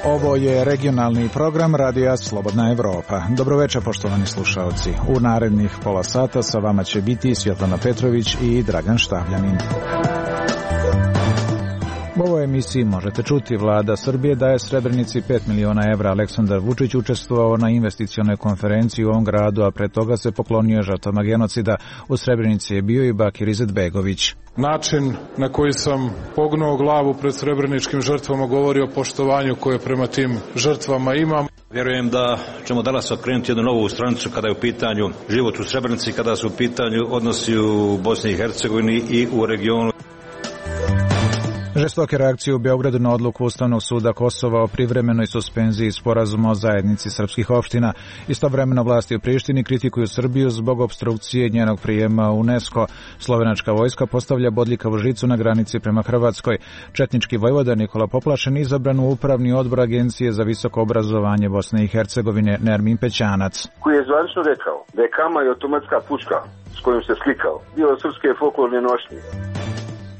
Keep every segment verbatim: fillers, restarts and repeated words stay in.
Ovo je regionalni program Radija Slobodna Evropa. Dobroveče, poštovani slušaoci. U narednih pola sata sa vama će biti Svjetlana Petrović i Dragan Štavljanin. U ovoj emisiji možete čuti vlada Srbije daje Srebrenici pet miliona evra. Aleksandar Vučić učestvovao na investicionoj konferenciji u ovom gradu, a pre toga se poklonio žrtvama genocida. U Srebrenici je bio i Bakir Izetbegović. Način na koji sam pognuo glavu pred srebreničkim žrtvama govori o poštovanju koje prema tim žrtvama imam. Vjerujem da ćemo danas okrenuti jednu novu stranicu kada je u pitanju život u Srebrenici, kada su u pitanju odnosi u Bosni i Hercegovini i u regionu. Žestoke reakcije u Beogradu na odluku Ustavnog suda Kosova o privremenoj suspenziji sporazuma o zajednici srpskih opština. Istovremeno vlasti u Prištini kritikuju Srbiju zbog opstrukcije njenog prijema u UNESCO. Slovenačka vojska postavlja bodljikavu žicu na granici prema Hrvatskoj. Četnički vojvoda Nikola Poplašen izabran u upravni odbor Agencije za visoko obrazovanje Bosne i Hercegovine Nermin Pećanac. Koji je zvanično rekao da je kama i automatska puška s kojom se slikao dio srpske folklorne nošnje.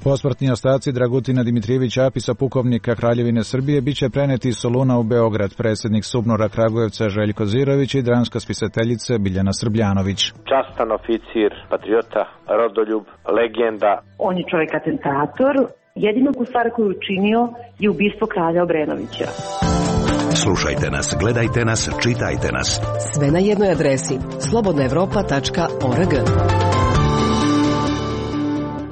Posmrtni ostaci Dragutina Dimitrijevića Apisa, pukovnika Kraljevine Srbije, biće preneti iz Soluna u Beograd. Predsjednik Subnora Kragujevca Željko Zirović i dramska spisateljica Biljana Srbljanović. Častan oficir, patriota, rodoljub, legenda. On je čovjek atentator. Jedinu stvar koju je učinio je ubistvo kralja Obrenovića. Slušajte nas, gledajte nas, čitajte nas. Sve na jednoj adresi slobodna evropa tačka org.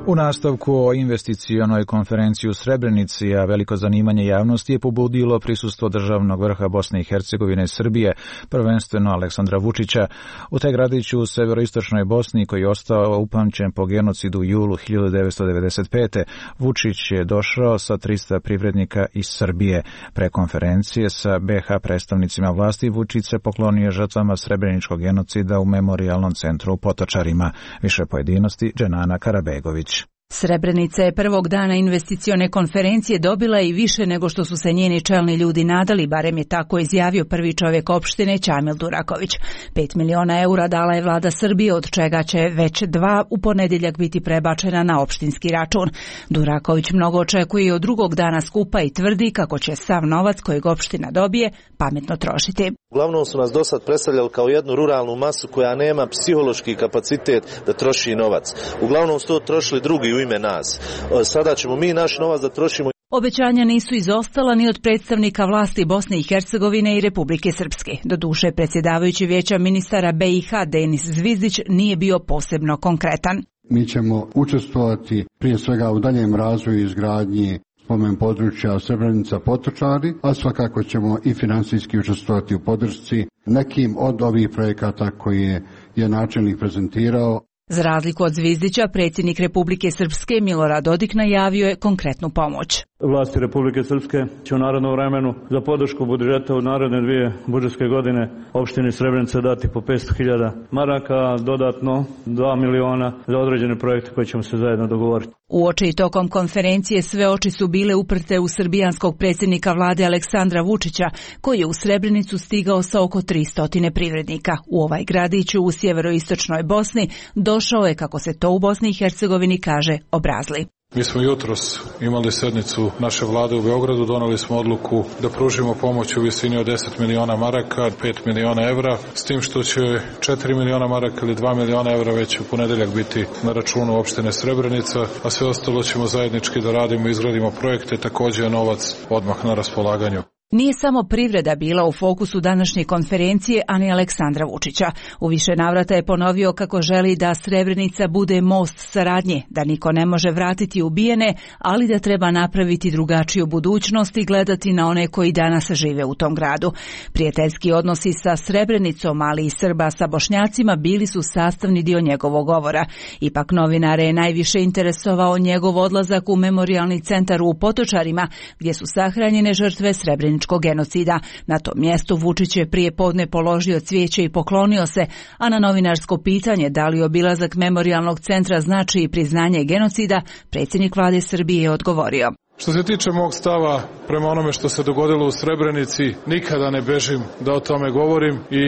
U nastavku o investicionoj konferenciji u Srebrenici, a veliko zanimanje javnosti je pobudilo prisustvo državnog vrha Bosne i Hercegovine i Srbije, prvenstveno Aleksandra Vučića. U taj gradiću u severoistočnoj Bosni, koji je ostao upamćen po genocidu u julu hiljadu devetsto devedeset pete. Vučić je došao sa trista privrednika iz Srbije. Pre konferencije sa be ha predstavnicima vlasti Vučić se poklonio žrtvama srebreničkog genocida u memorijalnom centru u Potočarima. Više pojedinosti Dženana Karabegović. Srebrenica je prvog dana investicione konferencije dobila i više nego što su se njeni čelni ljudi nadali, barem je tako izjavio prvi čovjek opštine Ćamil Duraković. Pet miliona eura dala je vlada Srbije, od čega će već dva u ponedjeljak biti prebačena na opštinski račun. Duraković mnogo očekuje od drugog dana skupa i tvrdi kako će sav novac kojeg opština dobije pametno trošiti. Uglavnom su nas do sad predstavljali kao jednu ruralnu masu koja nema psihološki kapacitet da troši novac. Uglavnom su to trošili drugi u ime nas. Sada ćemo mi naš novac da trošimo. Obećanja nisu izostala ni od predstavnika vlasti Bosne i Hercegovine i Republike Srpske. Doduše, predsjedavajući vijeća ministara be i ha Denis Zvizdić nije bio posebno konkretan. Mi ćemo učestvovati prije svega u daljem razvoju i izgradnji spomen područja Srebrenica Potočari, a svakako ćemo i financijski učestvovati u podršci nekim od ovih projekata koje je načelnik prezentirao. Za razliku od Zvizdića, predsjednik Republike Srpske Milorad Dodik najavio je konkretnu pomoć. Vlasti Republike Srpske će u narednom vremenu za podršku budžeta u naredne dvije budžetske godine opštini Srebrenica dati po petsto hiljada maraka, dodatno dva miliona za određene projekte koje ćemo se zajedno dogovoriti. Uoči i tokom konferencije sve oči su bile uprte u srbijanskog predsjednika vlade Aleksandra Vučića, koji je u Srebrenicu stigao sa oko tristo privrednika. U ovaj gradiću u sjeveroistočnoj Bosni došao je, kako se to u Bosni i Hercegovini kaže, obrazli. Mi smo jutros imali sednicu naše vlade u Beogradu, doneli smo odluku da pružimo pomoć u visini od deset miliona maraka, pet miliona evra, s tim što će četiri miliona maraka ili dva miliona evra već u ponedeljak biti na računu opštine Srebrenica, a sve ostalo ćemo zajednički da radimo i izgradimo projekte, također je novac odmah na raspolaganju. Nije samo privreda bila u fokusu današnje konferencije, a ni Aleksandra Vučića. U više navrata je ponovio kako želi da Srebrenica bude most saradnje, da niko ne može vratiti ubijene, ali da treba napraviti drugačiju budućnost i gledati na one koji danas žive u tom gradu. Prijateljski odnosi sa Srebrenicom, ali i Srba sa Bošnjacima bili su sastavni dio njegovog govora. Ipak novinare je najviše interesovao njegov odlazak u memorijalni centar u Potočarima, gdje su sahranjene žrtve Srebrenice genocida. Na tom mjestu Vučić je prije podne položio cvijeće i poklonio se, a na novinarsko pitanje da li obilazak memorijalnog centra znači i priznanje genocida, predsjednik vlade Srbije je odgovorio. Što se tiče mog stava prema onome što se dogodilo u Srebrenici, nikada ne bežim da o tome govorim i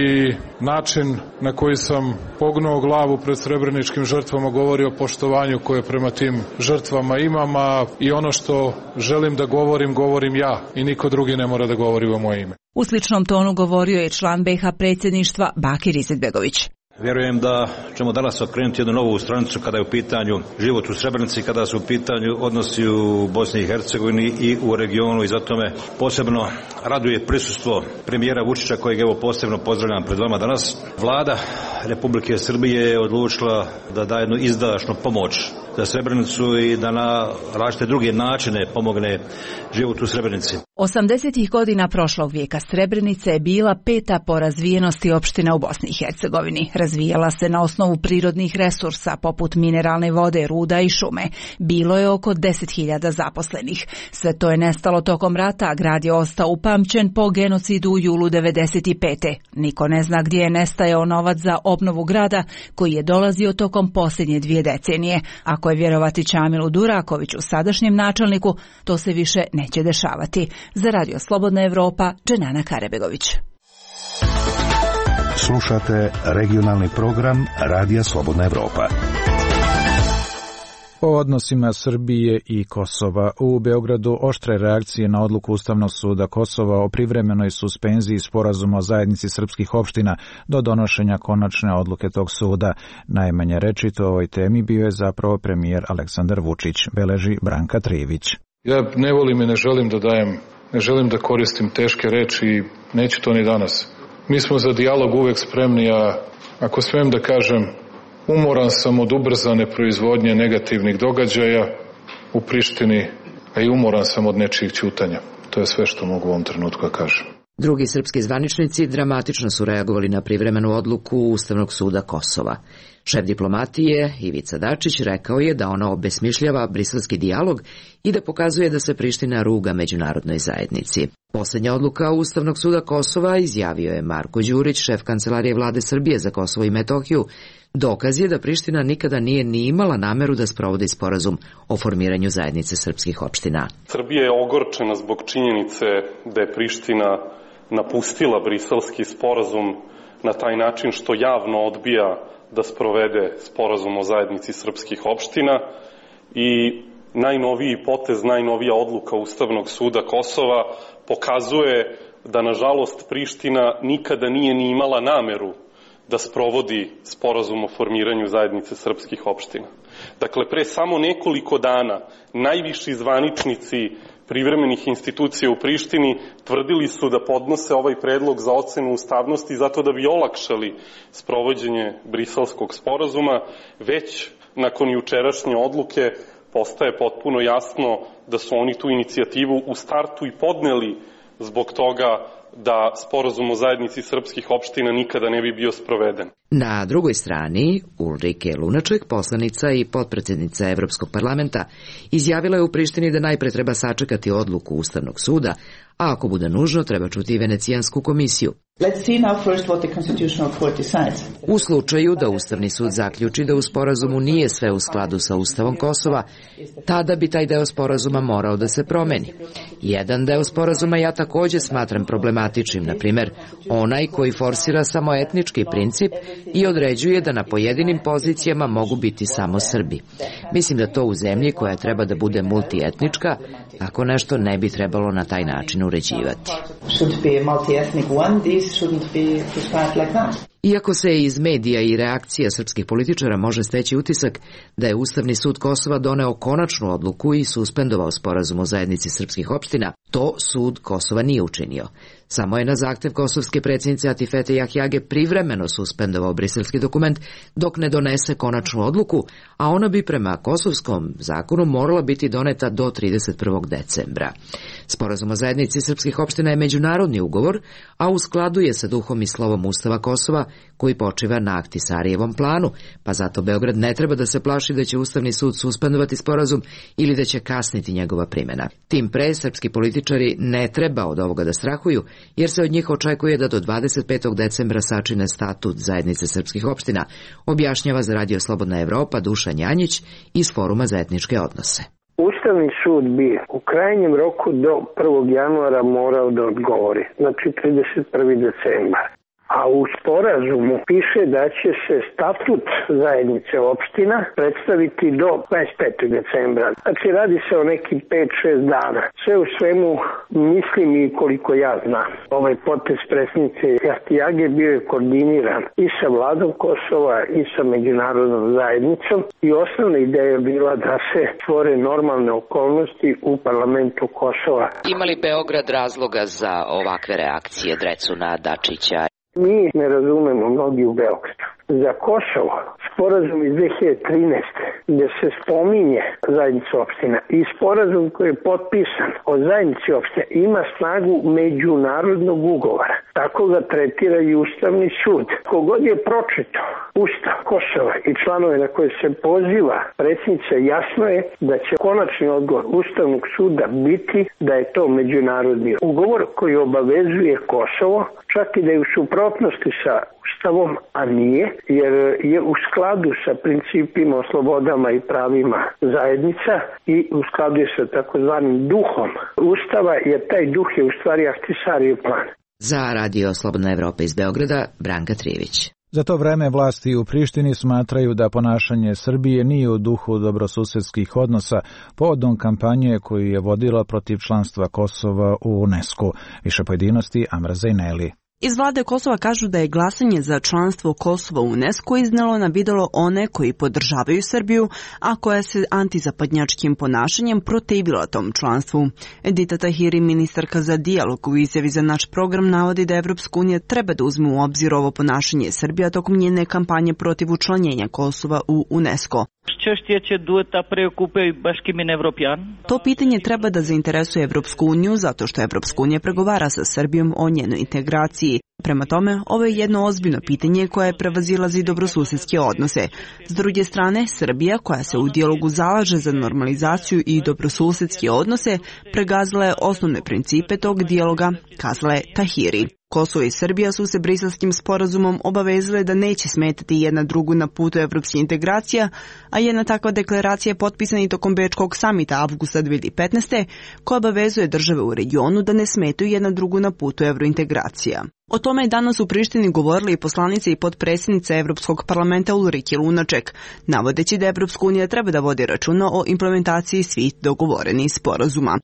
način na koji sam pognuo glavu pred srebreničkim žrtvama govori o poštovanju koje prema tim žrtvama imam, a i ono što želim da govorim, govorim ja i niko drugi ne mora da govori u moje ime. U sličnom tonu govorio je član be ha predsjedništva Bakir Izetbegović. Vjerujem da ćemo danas okrenuti jednu novu stranicu kada je u pitanju život u Srebrenici, kada su u pitanju odnosi u Bosni i Hercegovini i u regionu i zato me posebno raduje prisustvo premijera Vučića kojeg evo posebno pozdravljam pred vama danas. Vlada Republike Srbije je odlučila da da jednu izdašnu pomoć za Srebrenicu i da na različite druge načine pomogne život u Srebrenici. osamdesetih godina prošlog vijeka Srebrenica je bila peta po razvijenosti opština u Bosni i Hercegovini. Razvijala se na osnovu prirodnih resursa poput mineralne vode, ruda i šume. Bilo je oko deset hiljada zaposlenih. Sve to je nestalo tokom rata, a grad je ostao upamćen po genocidu u julu devedeset pete. Niko ne zna gdje je nestajao novac za obnovu grada koji je dolazio tokom posljednje dvije decenije. Ako je vjerovati Čamilu Durakoviću, sadašnjem načelniku, to se više neće dešavati. Za Radio Slobodna Evropa, Dženana Karebegović. Slušate regionalni program Radija Slobodna Evropa. O odnosima Srbije i Kosova. U Beogradu oštre reakcije na odluku Ustavnog suda Kosova o privremenoj suspenziji sporazuma o zajednici srpskih opština do donošenja konačne odluke tog suda. Najmanje rečito o ovoj temi bio je zapravo premijer Aleksandar Vučić, beleži Branka Trijević. Ja ne volim i ne želim da dajem, ne želim da koristim teške reči i neću to ni danas. Mi smo za dijalog uvek spremni, a ako smijem da kažem, umoran sam od ubrzane proizvodnje negativnih događaja u Prištini, a i umoran sam od nečijih ćutanja. To je sve što mogu u ovom trenutku da kažem. Drugi srpski zvaničnici dramatično su reagovali na privremenu odluku Ustavnog suda Kosova. Šef diplomatije Ivica Dačić rekao je da ona obesmišljava briselski dijalog i da pokazuje da se Priština ruga međunarodnoj zajednici. Posljednja odluka Ustavnog suda Kosova, izjavio je Marko Đurić, šef kancelarije vlade Srbije za Kosovo i Metohiju, dokaz je da Priština nikada nije ni imala nameru da sprovodi sporazum o formiranju zajednice srpskih opština. Srbija je ogorčena zbog činjenice da je Priština napustila briselski sporazum na taj način što javno odbija da sprovede sporazum o zajednici srpskih opština i najnoviji potez, najnovija odluka Ustavnog suda Kosova pokazuje da, nažalost, Priština nikada nije ni imala nameru da sprovodi sporazum o formiranju zajednice srpskih opština. Dakle, pre samo nekoliko dana najviši zvaničnici privremenih institucija u Prištini tvrdili su da podnose ovaj predlog za ocenu ustavnosti zato da bi olakšali sprovođenje briselskog sporazuma. Već nakon jučerašnje odluke postaje potpuno jasno da su oni tu inicijativu u startu i podneli zbog toga da sporazum o zajednici srpskih opština nikada ne bi bio sproveden. Na drugoj strani, Ulrike Lunaček, poslanica i potpredsjednica Evropskog parlamenta, izjavila je u Prištini da najpre treba sačekati odluku Ustavnog suda, a ako bude nužno treba čuti i Venecijansku komisiju. U slučaju da Ustavni sud zaključi da u sporazumu nije sve u skladu sa Ustavom Kosova, tada bi taj deo sporazuma morao da se promeni. Jedan deo sporazuma ja također smatram problematičnim, na primjer onaj koji forsira samo etnički princip i određuje da na pojedinim pozicijama mogu biti samo Srbi. Mislim da to u zemlji koja treba da bude multietnička, ako nešto ne bi trebalo na taj način uređivati. Iako se iz medija i reakcija srpskih političara može steći utisak da je Ustavni sud Kosova doneo konačnu odluku i suspendovao sporazum o zajednici srpskih opština, to sud Kosova nije učinio. Samo je na zahtev kosovske predsjednice Atifete Jahjage privremeno suspendovao briselski dokument dok ne donese konačnu odluku, a ona bi prema kosovskom zakonu morala biti doneta do trideset prvog decembra. Sporazum o zajednici srpskih opština je međunarodni ugovor, a u skladu je sa duhom i slovom Ustava Kosova, koji počiva na Ahtisarijevom planu, pa zato Beograd ne treba da se plaši da će Ustavni sud suspendovati sporazum ili da će kasniti njegova primjena. Tim pre, srpski političari ne treba od ovoga da strahuju, jer se od njih očekuje da do dvadeset petog decembra sačine statut zajednice srpskih opština, objašnjava za Radio Slobodna Evropa Dušan Janjić iz Foruma za etničke odnose. Ustavni sud bi u krajnjem roku do prvog januara morao da odgovori, znači trideset prvog decembra. A u sporazumu piše da će se statut zajednice opština predstaviti do dvadeset petog decembra. Znači radi se o nekih pet šest dana. Sve u svemu mislim i koliko ja znam. Ovaj potez predsjednice Jahtiage bio je koordiniran i sa vladom Kosova i sa međunarodnom zajednicom i osnovna ideja je bila da se stvore normalne okolnosti u parlamentu Kosova. Ima li Beograd razloga za ovakve reakcije Drecuna, Dačića? Mi ne razumemo mnogi u Beogradu. Za Kosovo sporazum iz dve hiljade trinaeste. gde se spominje zajednica opština i sporazum koji je potpisan o zajednici opština ima snagu međunarodnog ugovora. Tako ga tretira i Ustavni sud. Kogod je pročitao Ustav Kosova i članove na koje se poziva predsjednica, jasno je da će konačni odgovor Ustavnog suda biti da je to međunarodni ugovor koji obavezuje Kosovo, čak i da je u suprotnosti sa Ustavom, a nije, jer je u skladu sa principima o slobodama i pravima zajednica i u skladu je sa takozvanim duhom Ustava, jer taj duh je u stvari Ahtisarijev plan. Za Radio Slobodna Evropa iz Beograda, Branka Trijević. Za to vreme vlasti u Prištini smatraju da ponašanje Srbije nije u duhu dobrosusedskih odnosa povodom kampanje koju je vodila protiv članstva Kosova u UNESCO. Više pojedinosti Amra Zejneli. Iz vlade Kosova kažu da je glasanje za članstvo Kosova u UNESCO iznelo na videlo one koji podržavaju Srbiju, a koja se antizapadnjačkim ponašanjem protivila tom članstvu. Edita Tahiri, ministarka za dijalog, u izjavi za naš program navodi da Evropska unija treba da uzme u obzir ovo ponašanje Srbija tokom njene kampanje protiv učlanjenja Kosova u UNESCO. To pitanje treba da zainteresuje Evropsku uniju zato što Evropska unija pregovara sa Srbijom o njenoj integraciji. Prema tome, ovo je jedno ozbiljno pitanje koje prevazilazi dobrosusedske odnose. S druge strane, Srbija, koja se u dijalogu zalaže za normalizaciju i dobrosusedske odnose, pregazila je osnovne principe tog dijaloga, kazala je Tahiri. Kosovo i Srbija su se Briselskim sporazumom obavezale da neće smetati jedna drugu na putu evropskih integracija, a jedna takva deklaracija je potpisana i tokom Bečkog samita avgusta dve hiljade petnaeste. koja obavezuje države u regionu da ne smetaju jedna drugu na putu evrointegracija. O tome je danas u Prištini govorila i poslanica i potpredsjednica Evropskog parlamenta Ulrike Lunaček, navodeći da Evropska unija treba da vodi računa o implementaciji svih dogovorenih sporazuma.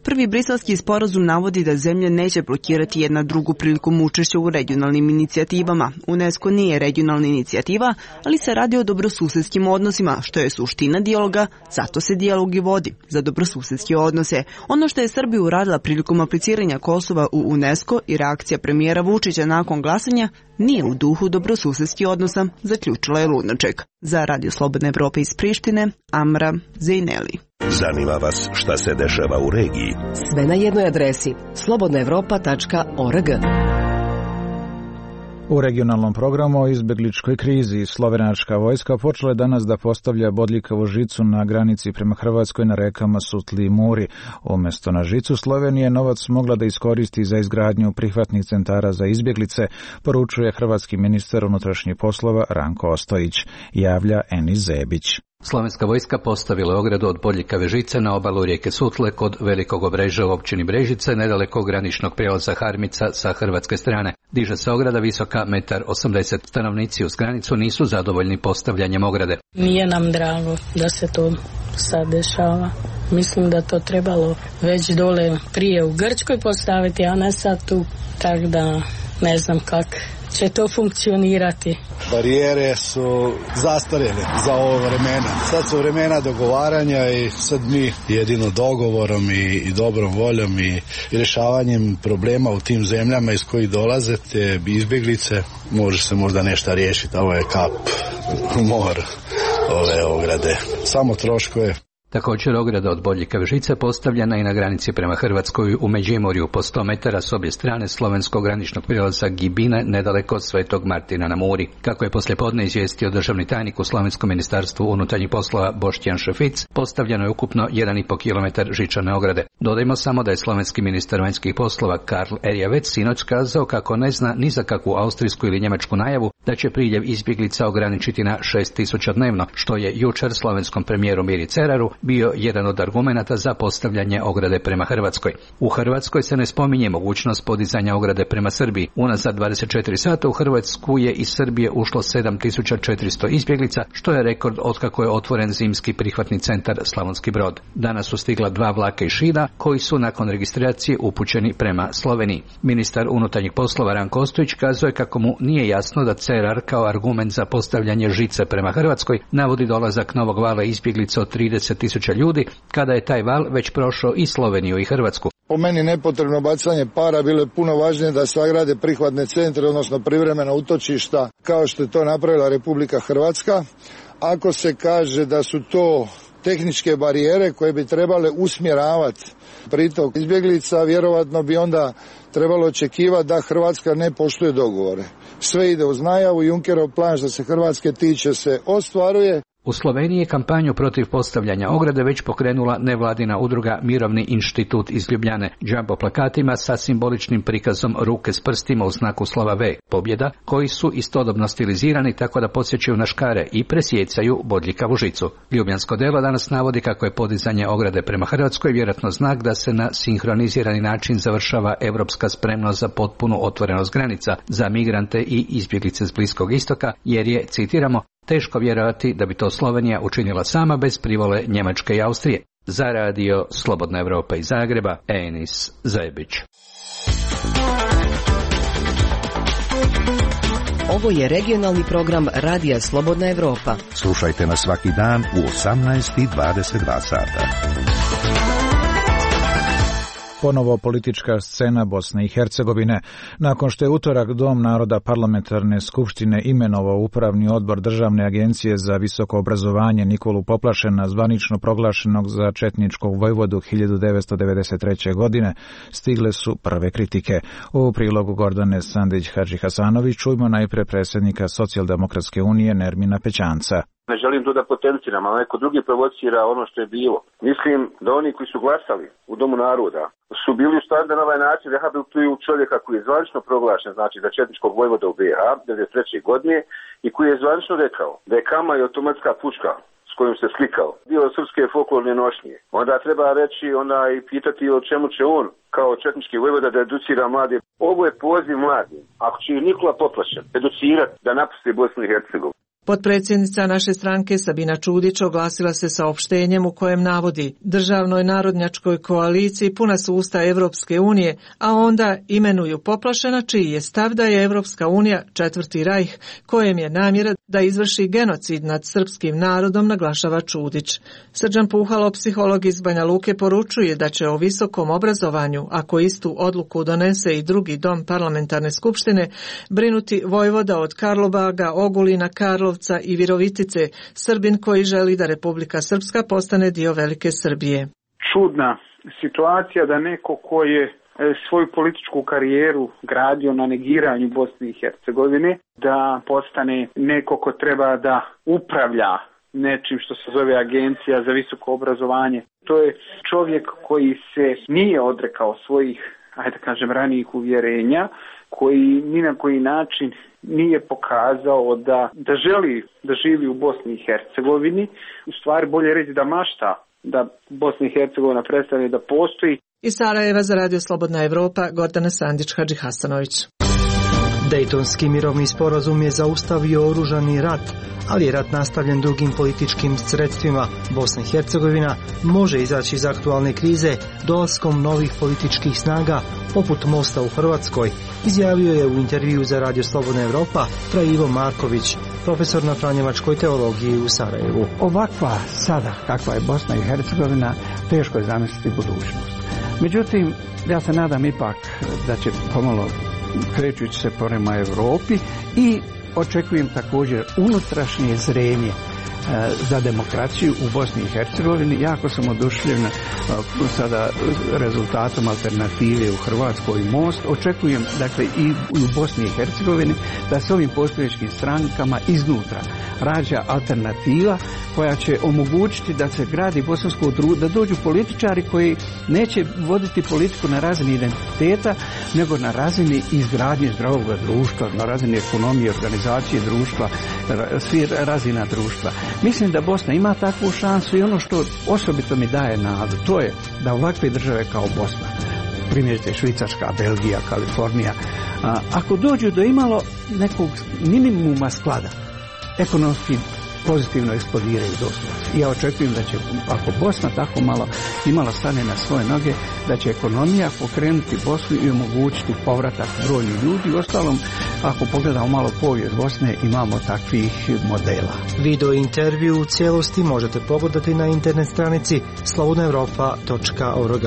Prvi briselski sporazum navodi da zemlje neće blokirati jedna drugu prilikom učešća u regionalnim inicijativama. UNESCO nije regionalna inicijativa, ali se radi o dobrosusedskim odnosima, što je suština dijaloga, zato se dijalog i vodi, za dobrosusedske odnose. Ono što je Srbija uradila prilikom apliciranja Kosova u UNESCO i reakcija premijera Vučića nakon glasanja nije u duhu dobrosusedskih odnosa, zaključila je Lunaček. Za Radio Slobodna Evropa iz Prištine, Amra Zejneli. Zanima vas šta se dešava u regiji? Sve na jednoj adresi slobodna evropa tačka org. U regionalnom programu o izbegličkoj krizi slovenačka vojska počela je danas da postavlja bodljikavu žicu na granici prema Hrvatskoj na rekama Sutli i Muri. Umjesto na žicu Slovenije novac mogla da iskoristi za izgradnju prihvatnih centara za izbjeglice, poručuje hrvatski ministar unutrašnjih poslova Ranko Ostojić, javlja Enis Zebić. Slovenska vojska postavila je ogradu od bodljikave žice na obalu rijeke Sutle kod Velikog Obrežja u općini Brežice, nedaleko graničnog prijelaza Harmica sa hrvatske strane. Diže se ograda visoka metar osamdeset. Stanovnici uz granicu nisu zadovoljni postavljanjem ograde. Nije nam drago da se to sad dešava. Mislim da to trebalo već dole prije u Grčkoj postaviti, a ne sad tu. Tako da ne znam kako će to funkcionirati. Barijere su zastarjene za ovo vremena. Sad su vremena dogovaranja i sad mi jedino dogovorom i, i dobrom voljom i, i rješavanjem problema u tim zemljama iz kojih dolaze te izbjeglice može se možda nešto riješiti. Ovo je kap u mor ove ograde. Samo troškove. Također ograda od Bodljika Vežice postavljena i na granici prema Hrvatskoj u Međimurju po sto metara s obje strane slovenskog graničnog prijelaza Gibine nedaleko od Svetog Martina na Muri. Kako je poslijepodne izvijestio državni tajnik u Slovenskom ministarstvu unutarnjih poslova Boštjan Šefic, postavljeno je ukupno jedan i pol kilometar žičane ograde. Dodajmo samo da je slovenski ministar vanjskih poslova Karl Erjavec sinoć kazao kako ne zna ni za kakvu austrijsku ili njemačku najavu da će priljev izbjeglica ograničiti na šest tisuća dnevno, što je jučer slovenskom premijeru Miri Ceraru bio jedan od argumenata za postavljanje ograde prema Hrvatskoj. U Hrvatskoj se ne spominje mogućnost podizanja ograde prema Srbiji. Unazad dvadeset četiri sata u Hrvatsku je iz Srbije ušlo sedam tisuća četiristo izbjeglica, što je rekord otkako je otvoren zimski prihvatni centar Slavonski Brod. Danas su stigla dva vlaka iz Šida koji su nakon registracije upućeni prema Sloveniji. Ministar unutarnjih poslova Ranko Ostojić kazuje kako mu nije jasno da Cerar kao argument za postavljanje žice prema Hrvatskoj navodi dolazak novog vala izbjeglica od trideset tisuća ljudi, kada je taj val već prošao i Sloveniju i Hrvatsku. Po meni nepotrebno bacanje para, bilo je puno važnije da sagrade prihvatne centre, odnosno privremena utočišta, kao što je to napravila Republika Hrvatska. Ako se kaže da su to tehničke barijere koje bi trebale usmjeravati pritok izbjeglica, vjerovatno bi onda trebalo očekivati da Hrvatska ne poštuje dogovore. Sve ide uz najavu, Junckerov plan što se Hrvatske tiče se ostvaruje. U Sloveniji je kampanju protiv postavljanja ograde već pokrenula nevladina udruga Mirovni inštitut iz Ljubljane, džambo plakatima sa simboličnim prikazom ruke s prstima u znaku slova V, pobjeda, koji su istodobno stilizirani tako da podsjećaju na škare i presjecaju bodljikavu žicu. Ljubljansko delo danas navodi kako je podizanje ograde prema Hrvatskoj vjerojatno znak da se na sinhronizirani način završava evropska spremnost za potpunu otvorenost granica za migrante i izbjeglice s Bliskog istoka, jer je, citiramo, teško vjerovati da bi to Slovenija učinila sama bez privole Njemačke i Austrije. Za radio Slobodna Evropa iz Zagreba, Enis Zajebić. Ovo je regionalni program Radija Slobodna Evropa. Slušajte nas svaki dan u osamnaest i dvadeset dva sata. Ponovo politička scena Bosne i Hercegovine. Nakon što je utorak Dom naroda parlamentarne skupštine imenovao upravni odbor Državne agencije za visoko obrazovanje Nikolu Poplašena, zvanično proglašenog za četničkog vojvodu hiljadu devetsto devedeset treće. godine, stigle su prve kritike. U prilogu Gordane Sandić-Hadžihasanović čujmo najpre predsjednika Socijaldemokratske unije Nermina Pećanca. Ne želim to da potenciram, ali neko drugi provocira ono što je bilo. Mislim da oni koji su glasali u Domu naroda su bili u stanju da na ovaj način rehabilituju čovjeka koji je zvanično proglašen, znači za četničkog vojvoda u B iH devedeset treće. godine i koji je zvanično rekao da je kama i automatska puška s kojom se slikao dio srpske folklorne nošnje. Onda treba reći, onda i pitati o čemu će on kao četnički vojvoda da educira mlade. Ovo je poziv mladim. Ako će Nikola Poplašen educirati da napusti Bosnu i Hercegovinu. Potpredsjednica naše stranke Sabina Čudić oglasila se saopštenjem u kojem navodi: državnoj narodnjačkoj koaliciji puna su usta Evropske unije, a onda imenuju Poplašena čiji je stav da je Evropska unija četvrti rajh kojem je namjera da izvrši genocid nad srpskim narodom, naglašava Čudić. Srđan Puhalo, psiholog iz Banja Luke, poručuje da će o visokom obrazovanju, ako istu odluku donese i drugi dom parlamentarne skupštine, brinuti vojvoda od Karlobaga, Ogulina, Karlov i Virovitice, Srbin koji želi da Republika Srpska postane dio Velike Srbije. Čudna situacija da neko ko je svoju političku karijeru gradio na negiranju Bosne i Hercegovine, da postane neko ko treba da upravlja nečim što se zove Agencija za visoko obrazovanje. To je čovjek koji se nije odrekao svojih, ajde da kažem, ranijih uvjerenja, koji ni na koji način nije pokazao da, da želi da živi u Bosni i Hercegovini. U stvari bolje reći da mašta da Bosna i Hercegovina prestane da postoji. Iz Sarajeva za Radio Slobodna Evropa, Gordana Sandić-Hadžihasanović. Dejtonski mirovni sporazum je zaustavio oružani rat, ali je rat nastavljen drugim političkim sredstvima. Bosna i Hercegovina može izaći iz aktualne krize dolaskom novih političkih snaga, poput Mosta u Hrvatskoj, izjavio je u intervju za Radio Slobodna Evropa fra Ivo Marković, profesor na franjevačkoj teologiji u Sarajevu. Ovakva sada kakva je Bosna i Hercegovina, teško je zamisliti budućnost. Međutim, ja se nadam ipak da će pomalo krećući se prema Europi i očekujem također unutrašnje zrenje za demokraciju u Bosni i Hercegovini. Jako sam oduševljen sada rezultatom alternative u Hrvatskoj Most. Očekujem, dakle, i u Bosni i Hercegovini da se ovim postojećim strankama iznutra rađa alternativa koja će omogućiti da se gradi bosansko društvo, da dođu političari koji neće voditi politiku na razini identiteta, nego na razini izgradnje zdravog društva, na razini ekonomije, organizacije društva, svih razina društva. Mislim da Bosna ima takvu šansu i ono što osobito mi daje nadu, to je da ovakve države kao Bosna, primjerice Švicarska, Belgija, Kalifornija, a, ako dođu do imalo nekog minimuma sklada, ekonomski pozitivno eksplodiraju doslovno. Ja očekujem da će, ako Bosna tako malo imala stane na svoje noge, da će ekonomija pokrenuti Bosnu i omogućiti povratak brojnih ljudi. U ostalom, ako pogledamo malo povijest Bosne, imamo takvih modela. Video intervju u cijelosti možete pogledati na internet stranici slobodna europa tačka org.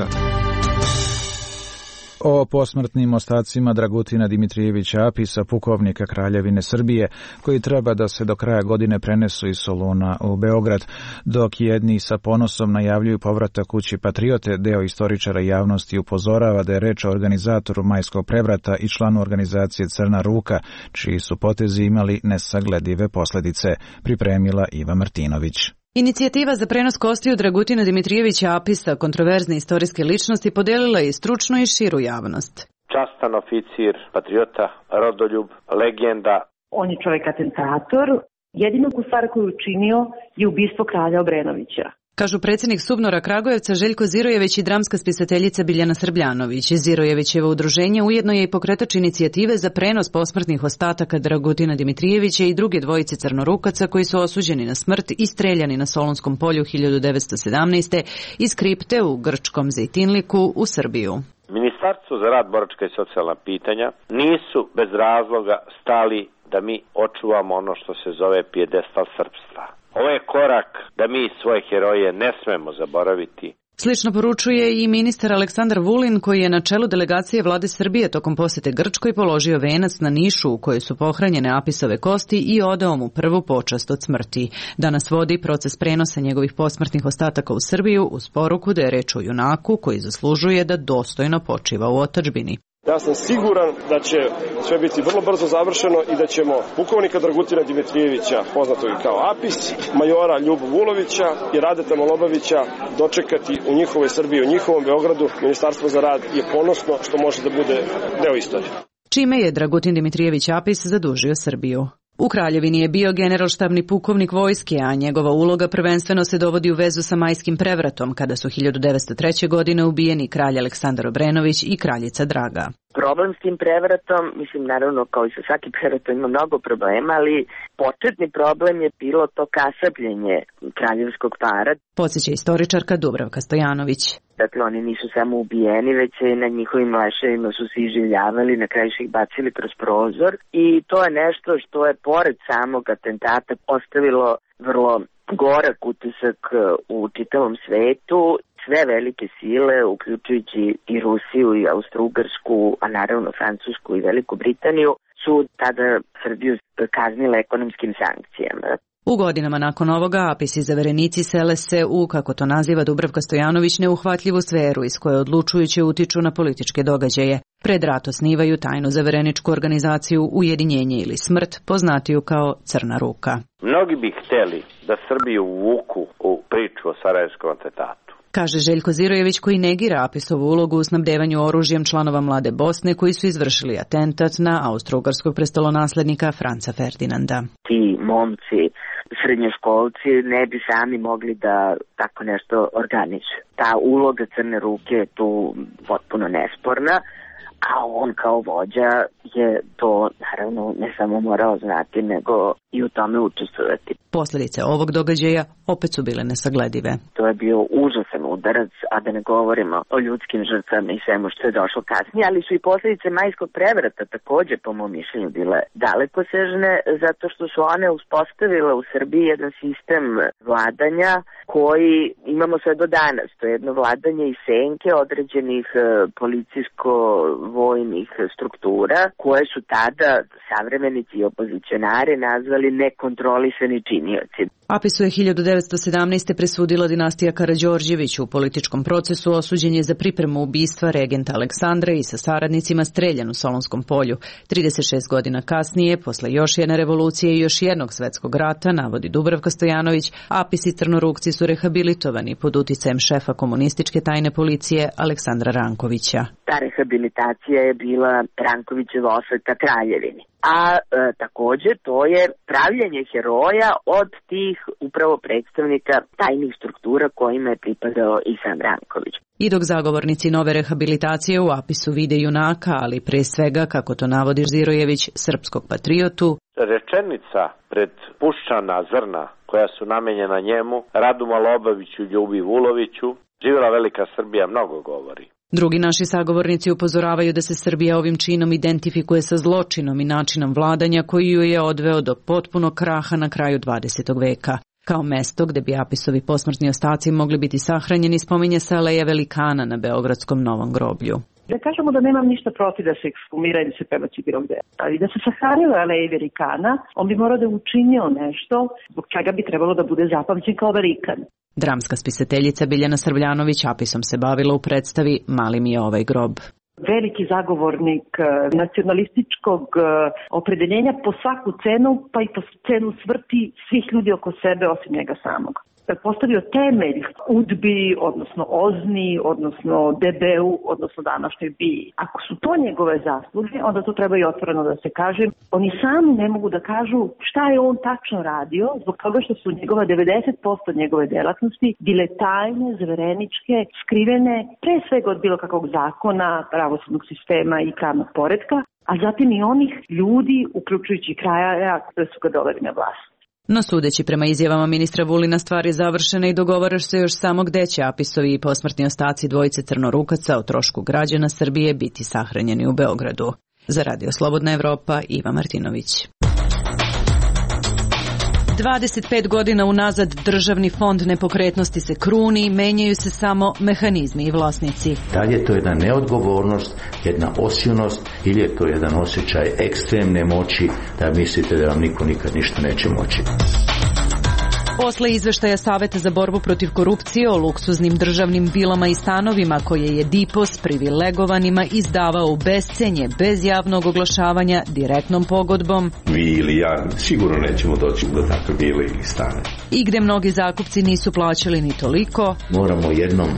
O posmrtnim ostacima Dragutina Dimitrijevića Apisa, pukovnika Kraljevine Srbije, koji treba da se do kraja godine prenesu iz Soluna u Beograd, dok jedni sa ponosom najavljuju povratak kući Patriote, deo istoričara javnosti upozorava da je reč o organizatoru Majskog prevrata i članu organizacije Crna ruka, čiji su potezi imali nesagledive posljedice, pripremila Iva Martinović. Inicijativa za prenos kostiju Dragutina Dimitrijevića Apisa, kontroverzne istorijske ličnosti, podelila je i stručnu i širu javnost. Častan oficir, patriota, rodoljub, legenda. On je čovjek atentator. Jedinu stvar koju je učinio je ubistvo kralja Obrenovića. Kažu predsjednik Subnora Kragujevca Željko Zirojević i dramska spisateljica Biljana Srbljanović. Zirojevićevo udruženje ujedno je i pokretač inicijative za prenos posmrtnih ostataka Dragutina Dimitrijevića i druge dvojice crnorukaca koji su osuđeni na smrt i streljani na Solunskom polju hiljadu devetsto sedamnaeste iz kripte u grčkom Zejtinliku u Srbiju. Ministarstvo za rad, boračka i socijalna pitanja nisu bez razloga stali da mi očuvamo ono što se zove pijedestal srpstva. Ovo je korak da mi svoje heroje ne smemo zaboraviti. Slično poručuje i ministar Aleksandar Vulin, koji je na čelu delegacije vlade Srbije tokom posjete Grčkoj položio venac na Nišu u kojoj su pohranjene Apisove kosti i odao mu prvu počast od smrti. Danas vodi proces prenosa njegovih posmrtnih ostataka u Srbiju uz poruku da je reč o junaku koji zaslužuje da dostojno počiva u otadžbini. Ja sam siguran da će sve biti vrlo brzo završeno i da ćemo pukovnika Dragutina Dimitrijevića, poznatog i kao Apis, majora Ljubu Vulovića i Radeta Malobavića dočekati u njihovoj Srbiji, u njihovom Beogradu. Ministarstvo za rad je ponosno što može da bude deo istorije. Čime je Dragutin Dimitrijević Apis zadužio Srbiju? U Kraljevini je bio generalštabni pukovnik vojske, a njegova uloga prvenstveno se dovodi u vezu sa Majskim prevratom, kada su hiljadu devetsto treće. godine ubijeni kralj Aleksandar Obrenović i kraljica Draga. Problem s tim prevratom, mislim naravno kao i sa svakim prevratom ima mnogo problema, ali početni problem je bilo to kasapljenje kraljevskog para. Podsjeća istoričarka Dubravka Stojanović. Dakle, oni nisu samo ubijeni, već se na njihovim leševima su se iživljavali, na kraju su ih bacili kroz prozor i to je nešto što je pored samog atentata ostavilo vrlo gorak utisak u čitavom svetu. Sve velike sile, uključujući i Rusiju i Austro-Ugarsku, a naravno Francusku i Veliku Britaniju, su tada Srbiju kaznile ekonomskim sankcijama. U godinama nakon ovoga Apis i zaverenici sele se u, kako to naziva Dubravka Stojanović, neuhvatljivu sferu iz koje odlučujuće utiču na političke događaje. Pred rat osnivaju tajnu zavereničku organizaciju Ujedinjenje ili smrt, poznatiju kao Crna ruka. Mnogi bi hteli da Srbiju uvuku u priču o Sarajevskom atentatu. Kaže Željko Zirojević, koji negira Apisovu ulogu u snabdevanju oružjem članova Mlade Bosne koji su izvršili atentat na austro-ugarskog prestolonaslednika Franca Ferdinanda. Ti momci, srednjoškolci ne bi sami mogli da tako nešto organizuju. Ta uloga Crne ruke je tu potpuno nesporna, a on kao vođa je to naravno ne samo morao znati, nego i u tome učestvovati. Posljedice ovog događaja opet su bile nesagledive. To je bio užasan udarac, a da ne govorimo o ljudskim žrtvama i svemu što je došlo kasnije, ali su i posljedice majskog prevrata također, po mom mišljenju, bile dalekosežne, zato što su one uspostavile u Srbiji jedan sistem vladanja koji imamo sve do danas. To je jedno vladanje i senke određenih policijsko-vojnih struktura koje su tada savremenici i opozicionari nazvali nekontrolisani činioci. Apisu je hiljadu devetsto sedamnaeste. presudila dinastija Karađorđević. U političkom procesu osuđen je za pripremu ubistva regenta Aleksandra i sa saradnicima streljan u Solonskom polju. trideset šest godina kasnije, posle još jedne revolucije i još jednog svetskog rata, navodi Dubravka Stojanović, Apis i Crnorukci su rehabilitovani pod uticajem šefa komunističke tajne policije Aleksandra Rankovića. Ta rehabilitacija je bila Rankovićeva osveta kraljevini. A e, također to je pravljenje heroja od tih upravo predstavnika tajnih struktura kojima je pripadao i sam Ranković. I dok zagovornici nove rehabilitacije u Apisu vide junaka, ali pre svega, kako to navodi Zirojević, srpskog patriotu, rečenica pred puščana zrna koja su namenjena njemu, Radu Malobaviću, Ljubi Vuloviću, živjela velika Srbija, mnogo govori. Drugi naši sagovornici upozoravaju da se Srbija ovim činom identifikuje sa zločinom i načinom vladanja koji ju je odveo do potpunog kraha na kraju dvadesetog veka. Kao mesto gde bi Apisovi posmrtni ostaci mogli biti sahranjeni spominje se Aleja Velikana na beogradskom Novom groblju. Da kažemo da nemam ništa protiv da se ekshumira i da se prebaci bilo gde. Ali da se sahranila Aleja Velikana, on bi morao da učinio nešto zbog čega bi trebalo da bude zapamćen kao velikan. Dramska spisateljica Biljana Srbljanović Apisom se bavila u predstavi Mali mi je ovaj grob. Veliki zagovornik nacionalističkog opredeljenja po svaku cenu, pa i po cenu smrti svih ljudi oko sebe osim njega samog. Postavio temelj udbi, odnosno Ozni, odnosno D B-u, odnosno današnjoj B I. Ako su to njegove zasluge, onda to treba i otvoreno da se kaže. Oni sami ne mogu da kažu šta je on tačno radio, zbog toga što su njegova devedeset posto njegove delatnosti bile tajne, zvereničke, skrivene, pre svega od bilo kakvog zakona, pravosudnog sistema i pravnog poretka, a zatim i onih ljudi, uključujući kraja, koji su ga doveli na vlast. No sudeći prema izjavama ministra Vulina, stvar je završena i dogovaraš se još samo gde će Apisovi i posmrtni ostaci dvojice Crnorukaca o trošku građana Srbije biti sahranjeni u Beogradu. Za Radio Slobodna Evropa, Iva Martinović. dvadeset pet godina unazad državni fond nepokretnosti se kruni, menjaju se samo mehanizmi i vlasnici. Da li je to jedna neodgovornost, jedna osilnost ili je to jedan osjećaj ekstremne moći da mislite da vam niko nikad ništa neće moći? Posle izveštaja Saveta za borbu protiv korupcije o luksuznim državnim vilama i stanovima koje je D I P O S privilegovanima izdavao u bescenje bez javnog oglašavanja direktnom pogodbom, vi ili ja sigurno nećemo doći do takve vile ili stane. I gde mnogi zakupci nisu plaćali ni toliko, moramo jednom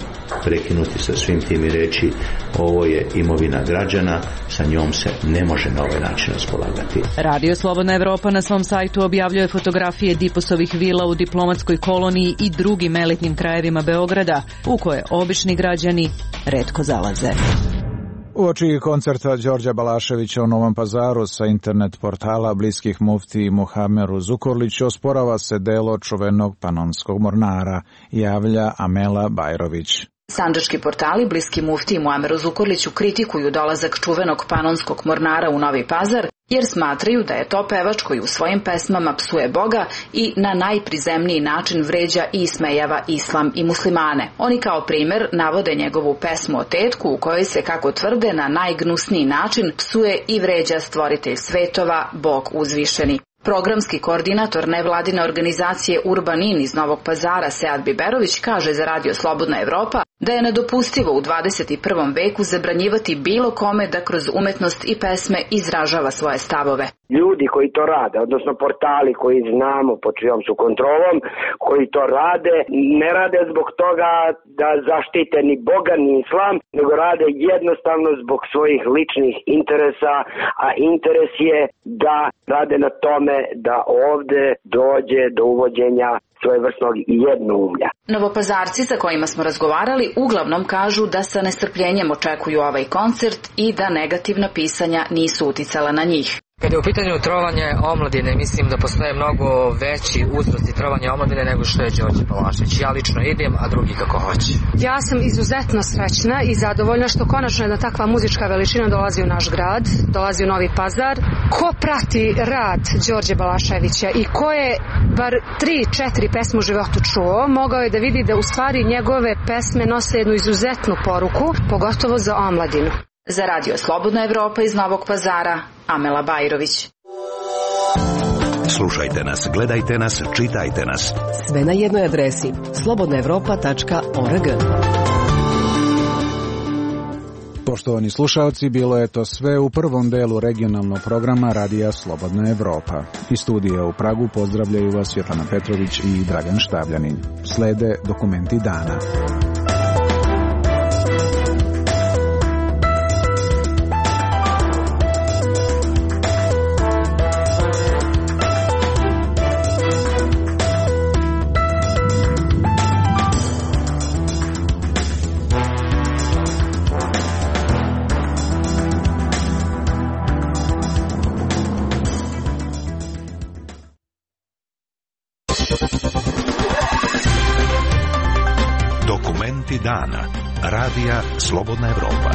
prekinuti sa svim tim i reći ovo je imovina građana, sa njom se ne može na ovaj način raspolagati. Radio Slobodna Evropa na svom sajtu objavljuje fotografije D I P O S-ovih vila u diplomatskoj koloniji i drugim elitnim krajevima Beograda, u koje obični građani retko zalaze. Uoči koncerta Đorđa Balaševića u Novom Pazaru sa internet portala bliskih mufti Muhameru Zukorliću osporava se delo čuvenog panonskog mornara, javlja Amela Bajrović. Sandžački portali bliski mufti Muameru Zukorliću kritikuju dolazak čuvenog panonskog mornara u Novi Pazar, jer smatraju da je to pevač koji u svojim pesmama psuje Boga i na najprizemniji način vređa i ismejava islam i muslimane. Oni kao primer navode njegovu pesmu o tetku u kojoj se, kako tvrde, na najgnusniji način psuje i vređa stvoritelj svetova, Bog uzvišeni. Programski koordinator nevladine organizacije Urbanin iz Novog Pazara Sead Biberović kaže za Radio Slobodna Evropa da je nedopustivo u dvadeset i prvom veku zabranjivati bilo kome da kroz umetnost i pesme izražava svoje stavove. Ljudi koji to rade, odnosno portali koji znamo pod čijom su kontrolom, koji to rade, ne rade zbog toga da zaštite ni Boga ni islam, nego rade jednostavno zbog svojih ličnih interesa, a interes je da rade na tome da ovde dođe do uvođenja svojevrsnog jednoumlja. Novopazarci sa kojima smo razgovarali uglavnom kažu da sa nestrpljenjem očekuju ovaj koncert i da negativna pisanja nisu uticala na njih. Kad je u pitanju trovanje omladine, mislim da postoje mnogo veći uzrosti trovanja omladine nego što je Đorđe Balašević. Ja lično idem, a drugi kako hoće. Ja sam izuzetno srećna i zadovoljna što konačno jedna takva muzička veličina dolazi u naš grad, dolazi u Novi Pazar. Ko prati rad Đorđe Balaševića i ko je bar tri, četiri pesme u životu čuo, mogao je da vidi da u stvari njegove pesme nose jednu izuzetnu poruku, pogotovo za omladinu. Za Radio Slobodna Evropa iz Novog Pazara, Amela Bajrović. Slušajte nas, gledajte nas, čitajte nas. Sve na jednoj adresi slobodna evropa tačka org. Poštovani slušalci, bilo je to sve u prvom delu regionalnog programa Radija Slobodna Evropa. Iz studija u Pragu pozdravljaju vas Svetlana Petrović i Dragan Štabljanin. Slede dokumenti dana. Dokumenti dana. Radija Slobodna Evropa.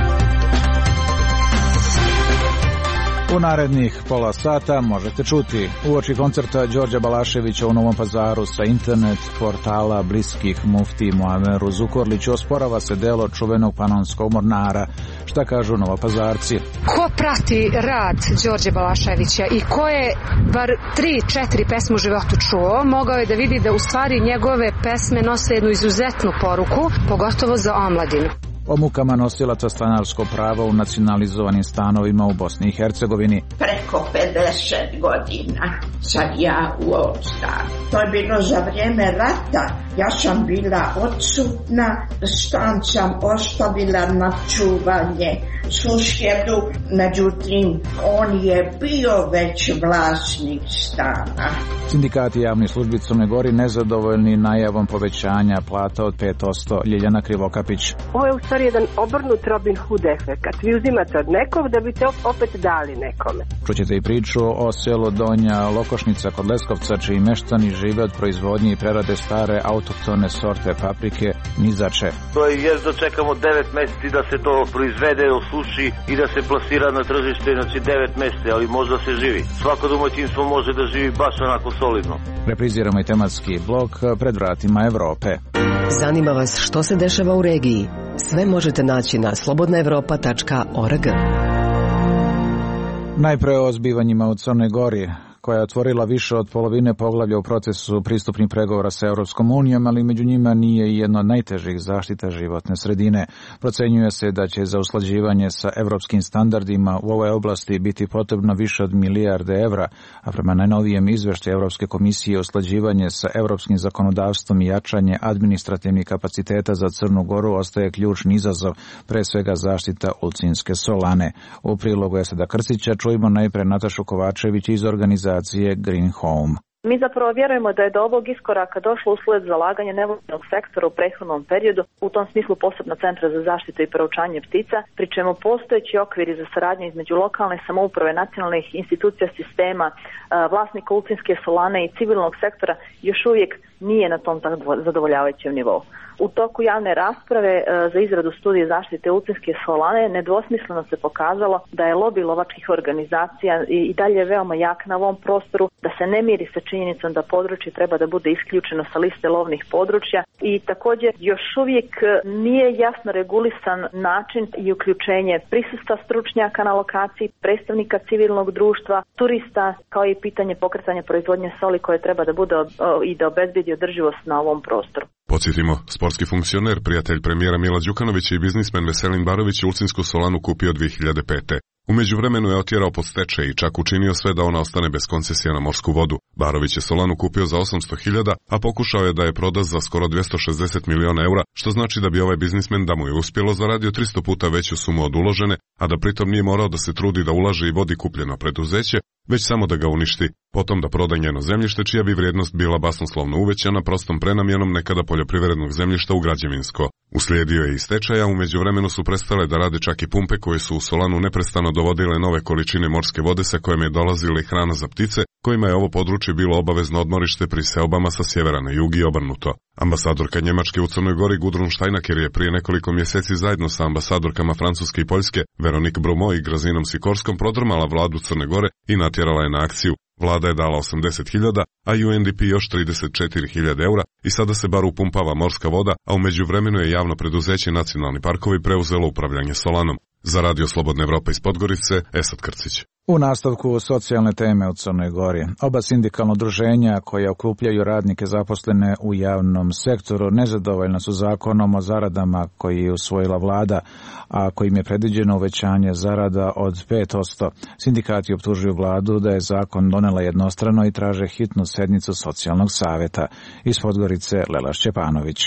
U narednih pola sata možete čuti uoči koncerta Đorđa Balaševića u Novom Pazaru sa internet portala bliskih mufti Muameru Zukorliću osporava se delo čuvenog panonskog mornara. Šta kažu Novopazarci? Ko prati rad Đorđe Balaševića i ko je bar tri, četiri pesme u životu čuo, mogao je da vidi da u stvari njegove pesme nose jednu izuzetnu poruku, pogotovo za omladinu. O mukama nosilaca stanarskog prava u nacionalizovanim stanovima u Bosni i Hercegovini. Preko pedeset godina sam ja u ovom stanu. To je bilo za vrijeme rata. Ja sam bila odsutna, stan sam ostavila na čuvanje susjedu, međutim on je bio već vlasnik stana. Sindikati javnih službi Crne Gori nezadovoljni najavom povećanja plata od pet posto. Ljiljana Krivokapić. Ovo je u stvari jedan obrnut Robin Hood efekat. Vi uzimate od nekog da biste opet dali nekome. Čućete i priču o selu Donja Lokošnica kod Leskovca, čiji meštani žive od proizvodnje i prerade stare autohtone sorte paprike Nizače. To je jer dočekamo devet meseci da se to proizvede, osuši i da se plasira na tržište, znači devet meseci, ali možda se živi. Svako domaćinstvo može da živi baš onako solidno. Repriziramo i tematski blok Pred vratima Evrope. Zanima vas što se dešava u regiji? Sve možete naći na slobodna evropa tačka org. Najpre o zbivanjima u Crnoj Gori, koja je otvorila više od polovine poglavlja u procesu pristupnih pregovora sa Europskom unijom, ali među njima nije i jedno od najtežih zaštita životne sredine. Procenjuje se da će za usklađivanje sa europskim standardima u ovoj oblasti biti potrebno više od milijarde evra, a prema najnovijem izveštaju Europske komisije usklađivanje sa europskim zakonodavstvom i jačanje administrativnih kapaciteta za Crnu Goru ostaje ključni izazov, pre svega zaštita ulcinske solane. U prilogu Esada Krstića čujemo najpre Natašu Kovačević iz organizacije Green Home. Mi zapravo vjerujemo da je do ovog iskoraka došlo usled zalaganja nevojnog sektora u prethodnom periodu, u tom smislu posebno Centra za zaštitu i proučavanje ptica, pri čemu postojeći okviri za saradnju između lokalne samouprave, nacionalnih institucija sistema, vlasnika ulcinske solane i civilnog sektora još uvijek nije na tom zadovoljavajućem nivou. U toku javne rasprave za izradu studije zaštite ulcinske solane nedvosmisleno se pokazalo da je lobi lovačkih organizacija i dalje veoma jak na ovom prostoru, da se ne miri sa činjenicom da područje treba da bude isključeno sa liste lovnih područja i također još uvijek nije jasno regulisan način i uključenje prisustva stručnjaka na lokaciji, predstavnika civilnog društva, turista, kao i pitanje pokretanja proizvodnje soli koje treba da bude i da obezbedi održivost na ovom prostoru. Podsjetimo, sportski funkcioner, prijatelj premijera Mila Đukanovića i biznismen Veselin Barović je ulcinsku solanu kupio dvije hiljade pete. U međuvremenu je otjerao pod stečaj i čak učinio sve da ona ostane bez koncesija na morsku vodu. Barović je solanu kupio za osamsto hiljada, a pokušao je da je proda za skoro dvjesto šezdeset miliona eura, što znači da bi ovaj biznismen, da mu je uspjelo, zaradio tristo puta veću sumu od uložene, a da pritom nije morao da se trudi da ulaže i vodi kupljeno preduzeće, već samo da ga uništi, potom da proda njeno zemljište čija bi vrijednost bila basnoslovno uvećana prostom prenamjenom nekada poljoprivrednog zemljišta u građevinsko. Uslijedio je i stečaja, umeđu vremenu su prestale da rade čak i pumpe koje su u Solanu neprestano dovodile nove količine morske vode sa kojim je dolazila i hrana za ptice, kojima je ovo područje bilo obavezno odmorište pri seobama sa sjevera na jug i obrnuto. Ambasadorka Njemačke u Crnoj Gori Gudrun Steinecker je prije nekoliko mjeseci zajedno sa ambasadorkama Francuske i Poljske Veronique Brumo i Grazinom Sikorskom prodrmala vladu Crne Gore i natjerala je na akciju. Vlada je dala osamdeset hiljada, a U N D P još trideset četiri hiljade eura i sada se bar upumpava morska voda, a umeđu vremenu je javno preduzeće Nacionalni parkovi preuzelo upravljanje Solanom. Za Radio Slobodna Evropa iz Podgorice, Esad Krcić. U nastavku socijalne teme u Crnoj Gori. Oba sindikalna udruženja koja okupljaju radnike zaposlene u javnom sektoru nezadovoljna su zakonom o zaradama koji je usvojila vlada, a kojim je predviđeno uvećanje zarada od pet posto. Sindikati optužuju vladu da je zakon donela jednostrano i traže hitnu sednicu socijalnog savjeta. Iz Podgorice Lela Šćepanović.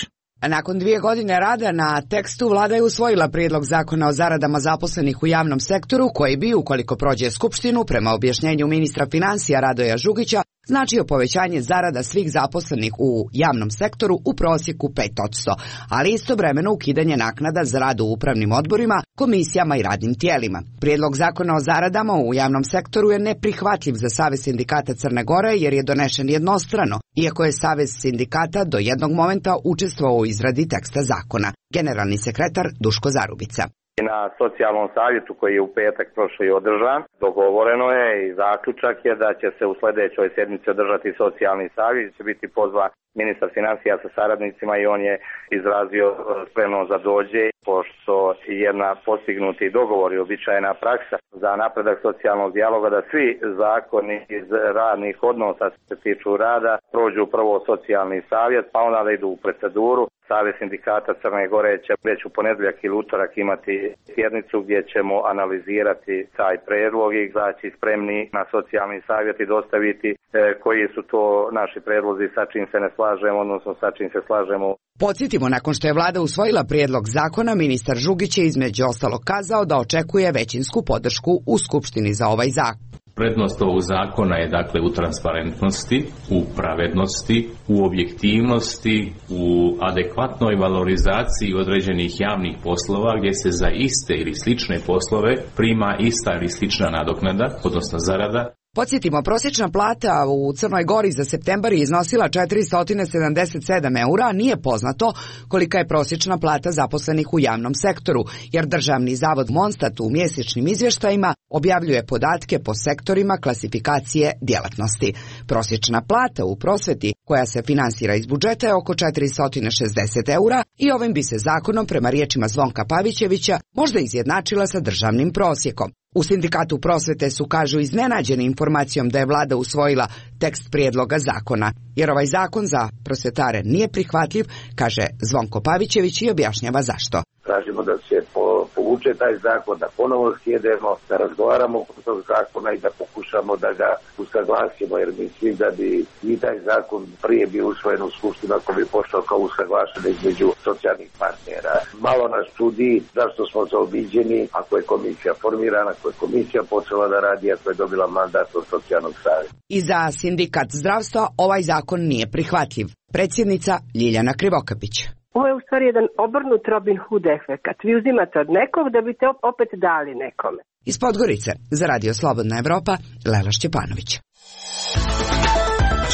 Nakon dvije godine rada na tekstu, vlada je usvojila prijedlog zakona o zaradama zaposlenih u javnom sektoru, koji bi, ukoliko prođe Skupštinu, prema objašnjenju ministra financija Radoja Žugića, značio povećanje zarada svih zaposlenih u javnom sektoru u prosjeku pet posto, ali istovremeno ukidanje naknada za rad u upravnim odborima, komisijama i radnim tijelima. Prijedlog zakona o zaradama u javnom sektoru je neprihvatljiv za Savez sindikata Crne Gore jer je donešen jednostrano, iako je Savez sindikata do jednog momenta učestvovao u izradi teksta zakona. Generalni sekretar Duško Zarubica. Na socijalnom savjetu koji je u petak prošli održan, dogovoreno je i zaključak je da će se u sljedećoj sjednici održati socijalni savjet, će biti pozvan ministar financija sa saradnicima i on je izrazio spremnost da dođe, pošto je na postignuti dogovor i običajna praksa za napredak socijalnog dijaloga da svi zakoni iz radnih odnosa se tiču rada prođu prvo socijalni savjet, pa onda da idu u proceduru. Savez sindikata Crne Gore će već u ponedjeljak ili utorak imati sjednicu gdje ćemo analizirati taj predlog i izaći spremni na socijalni savjet i dostaviti e, koji su to naši predlozi, sa čim se ne slažemo, odnosno sa čim se slažemo. Podsjetimo, nakon što je vlada usvojila prijedlog zakona, ministar Žugić je između ostalog kazao da očekuje većinsku podršku u Skupštini za ovaj zakon. Prednost ovog zakona je dakle u transparentnosti, u pravednosti, u objektivnosti, u adekvatnoj valorizaciji određenih javnih poslova gdje se za iste ili slične poslove prima ista ili slična nadoknada, odnosno zarada. Podsjetimo, prosječna plata u Crnoj Gori za septembar je iznosila četiristo sedamdeset sedam eura, a nije poznato kolika je prosječna plata zaposlenih u javnom sektoru, jer Državni zavod Monstat u mjesečnim izvještajima objavljuje podatke po sektorima klasifikacije djelatnosti. Prosječna plata u prosvjeti, koja se finansira iz budžeta, je oko četiristo šezdeset eura i ovim bi se zakonom, prema riječima Zvonka Pavićevića, možda izjednačila sa državnim prosjekom. U sindikatu prosvete su, kažu, iznenađeni informacijom da je vlada usvojila tekst prijedloga zakona, jer ovaj zakon za prosvetare nije prihvatljiv, kaže Zvonko Pavićević i objašnjava zašto. Tražimo da se po, povuče taj zakon, da ponovo sjedemo, da razgovaramo oko tog zakona i da pokušamo da ga usaglasimo, jer mislim da bi i taj zakon prije bio usvojen u Skupštinu ako bi pošao kao usaglašen između socijalnih partnera. Malo nas čudi zašto smo zaobiđeni ako je komisija formirana, ako je komisija počela da radi, ako je dobila mandat od socijalnog savjeta. I za sindikat zdravstva ovaj zakon nije prihvatljiv. Predsjednica Ljiljana Krivokapić. Ovo je u stvari jedan obrnut Robin Hood efekat. Vi uzimate od nekog da biste opet dali nekome. Iz Podgorice, za Radio Slobodna Evropa, Lela Šćepanović.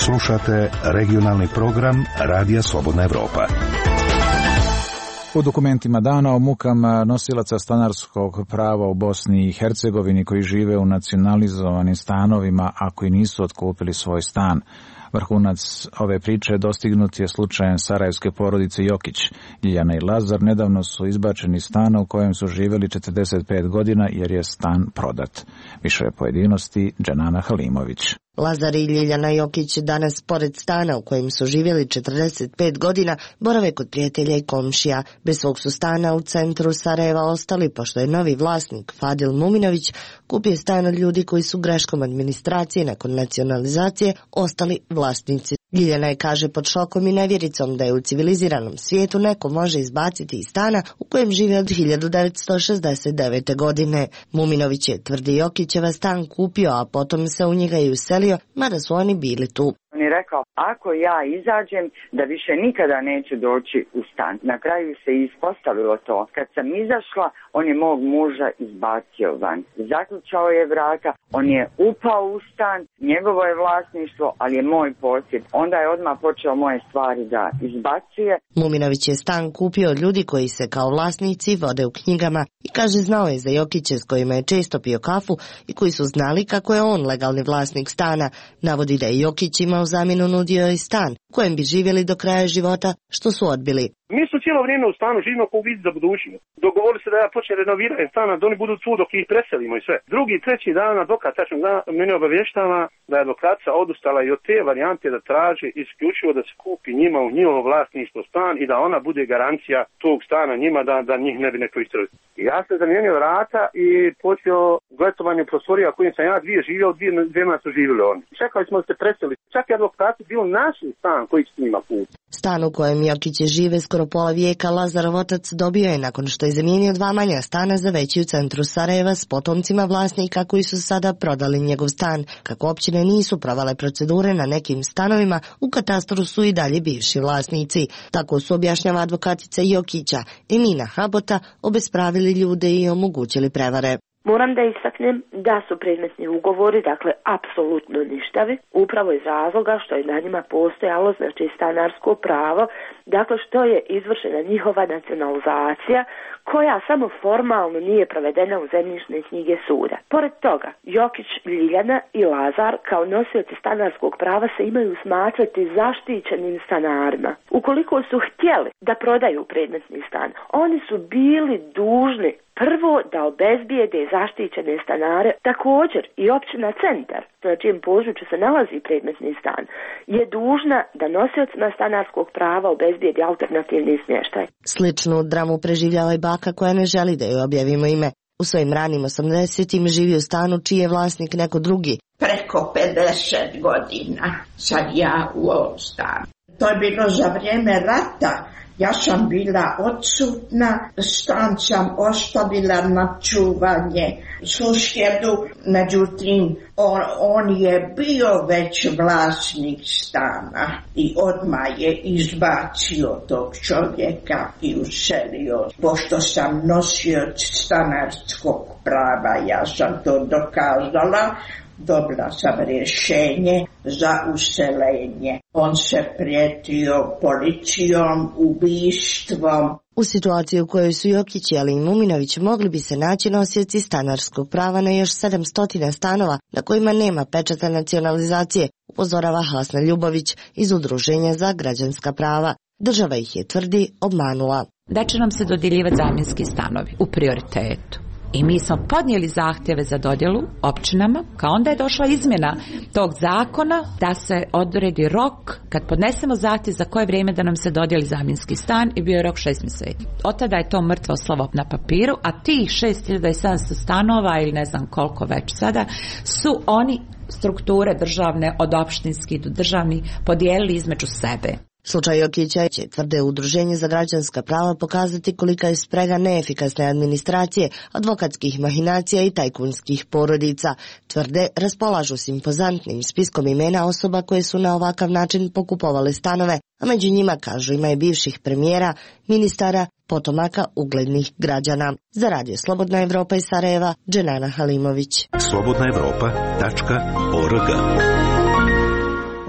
Slušate regionalni program Radija Slobodna Evropa. U dokumentima dana o mukama nosilaca stanarskog prava u Bosni i Hercegovini koji žive u nacionalizovanim stanovima, a koji nisu otkupili svoj stan. Vrhunac ove priče dostignut je slučajem sarajevske porodice Jokić. Ljiljana i Lazar nedavno su izbačeni iz stana u kojem su živjeli četrdeset pet godina jer je stan prodat. Više pojedinosti Dženana Halimović. Lazar i Ljiljana Jokić danas pored stana u kojem su živjeli četrdeset pet godina borave kod prijatelja i komšija. Bez svog su stana u centru Sarajeva ostali pošto je novi vlasnik Fadil Muminović kupio stan od ljudi koji su greškom administracije nakon nacionalizacije ostali vlasnici. Ljiljana je, kaže, pod šokom i nevjericom da je u civiliziranom svijetu neko može izbaciti iz stana u kojem žive od hiljadu devetsto šezdeset devete. godine. Muminović je, tvrdi Jokićeva, stan kupio, a potom se u njega i uselio, mada su oni bili tu. On je rekao rekao, ako ja izađem da više nikada neću doći u stan. Na kraju se ispostavilo to. Kad sam izašla, on je mog muža izbacio van. Zaključao je vrata, on je upao u stan, njegovo je vlasništvo, ali je moj posjed. Onda je odmah počeo moje stvari da izbacuje. Muminović je stan kupio od ljudi koji se kao vlasnici vode u knjigama i kaže znao je za Jokiće s kojima je često pio kafu i koji su znali kako je on legalni vlasnik stana. Navodi da je Jokić imao zamjenu nudio i stan u kojem bi živjeli do kraja života, što su odbili. Mi su cijelo vrijeme u stanu živimo kao vid za budućnost. Dogovorili se da ja počnem renovirati stana, da oni budu tu dok ih preselimo i sve. Drugi, treći dan advokat tačno mene obavještava da je advokatica odustala i od te varijante da traži isključivo da se kupi njima u njihovo vlasništvo stan i da ona bude garancija tog stana njima da, da njih ne bi neko istrali. Ja sam zamijenio vrata i počeo gletovanje prostorija kojim sam ja dvije živio, dvije, dvijema su živjeli oni. Čekali smo da se preseli. Čak i advokati bio naš stan koji s njima kupi. Stan u kojem Jokiće žive skoro pola vijeka Lazarov otac dobio je nakon što je zamijenio dva manja stana za veći u centru Sarajeva s potomcima vlasnika koji su sada prodali njegov stan. Kako općine nisu provale procedure na nekim stanovima, u katastru su i dalje bivši vlasnici. Tako su, objašnjava advokatica Jokića, Emina Habota, obespravili ljude i omogućili prevare. Moram da istaknem da su predmetni ugovori, dakle, apsolutno ništavi, upravo iz razloga što je na njima postojalo, znači, stanarsko pravo, dakle, što je izvršena njihova nacionalizacija, koja samo formalno nije provedena u zemljišne knjige suda. Pored toga, Jokić, Ljiljana i Lazar kao nosioci stanarskog prava se imaju smatrati zaštićenim stanarima. Ukoliko su htjeli da prodaju predmetni stan, oni su bili dužni prvo da obezbijede zaštićene stanare. Također i općina Centar, na čijem području se nalazi predmetni stan, je dužna da nosiocima stanarskog prava obezbijedi alternativni smještaj. Sličnu dramu preživljava i baka koja ne želi da joj objavimo ime. U svojim ranim osamdesetim živi u stanu čiji je vlasnik neko drugi. Preko pedeset godina sad ja u ovom stanu. To je bilo za vrijeme rata. Ja sam bila odsutna, stan sam ostavila na čuvanje susjedu, međutim on, on je bio već vlasnik stana i odmah je izbacio tog čovjeka i uselio. Pošto sam nosioc stanarskog prava, ja sam to dokazala, dobila sam rješenje za useljenje. On se prijetio policijom, ubistvom. U situaciji u kojoj su Jokić, ali i Muminović mogli bi se naći nosioci stanarskog prava na još sedamsto stanova na kojima nema pečata nacionalizacije, upozorava Hasna Ljubović iz Udruženja za građanska prava. Država ih je, tvrdi, obmanula. Da će nam se dodjeljivati zamjenski stanovi u prioritetu. I mi smo podnijeli zahtjeve za dodjelu općinama, kao onda je došla izmjena tog zakona da se odredi rok kad podnesemo zahtjev za koje vrijeme da nam se dodijeli zamjenski stan i bio je rok šest mjeseci. Od tada je to mrtvo slovo na papiru, a tih šest hiljada sedamsto stanova ili ne znam koliko već sada su oni strukture državne od opštinskih do državnih podijelili između sebe. Slučaj Jokića će, tvrde Udruženje za građanska prava, pokazati kolika je sprega neefikasne administracije, advokatskih mahinacija i tajkunskih porodica. Tvrde, raspolažu s impozantnim spiskom imena osoba koje su na ovakav način pokupovale stanove, a među njima, kažu, ima je bivših premijera, ministara, potomaka uglednih građana. Za Radio Slobodna Evropa iz Sarajeva, Dženana Halimović. slobodna evropa tačka org.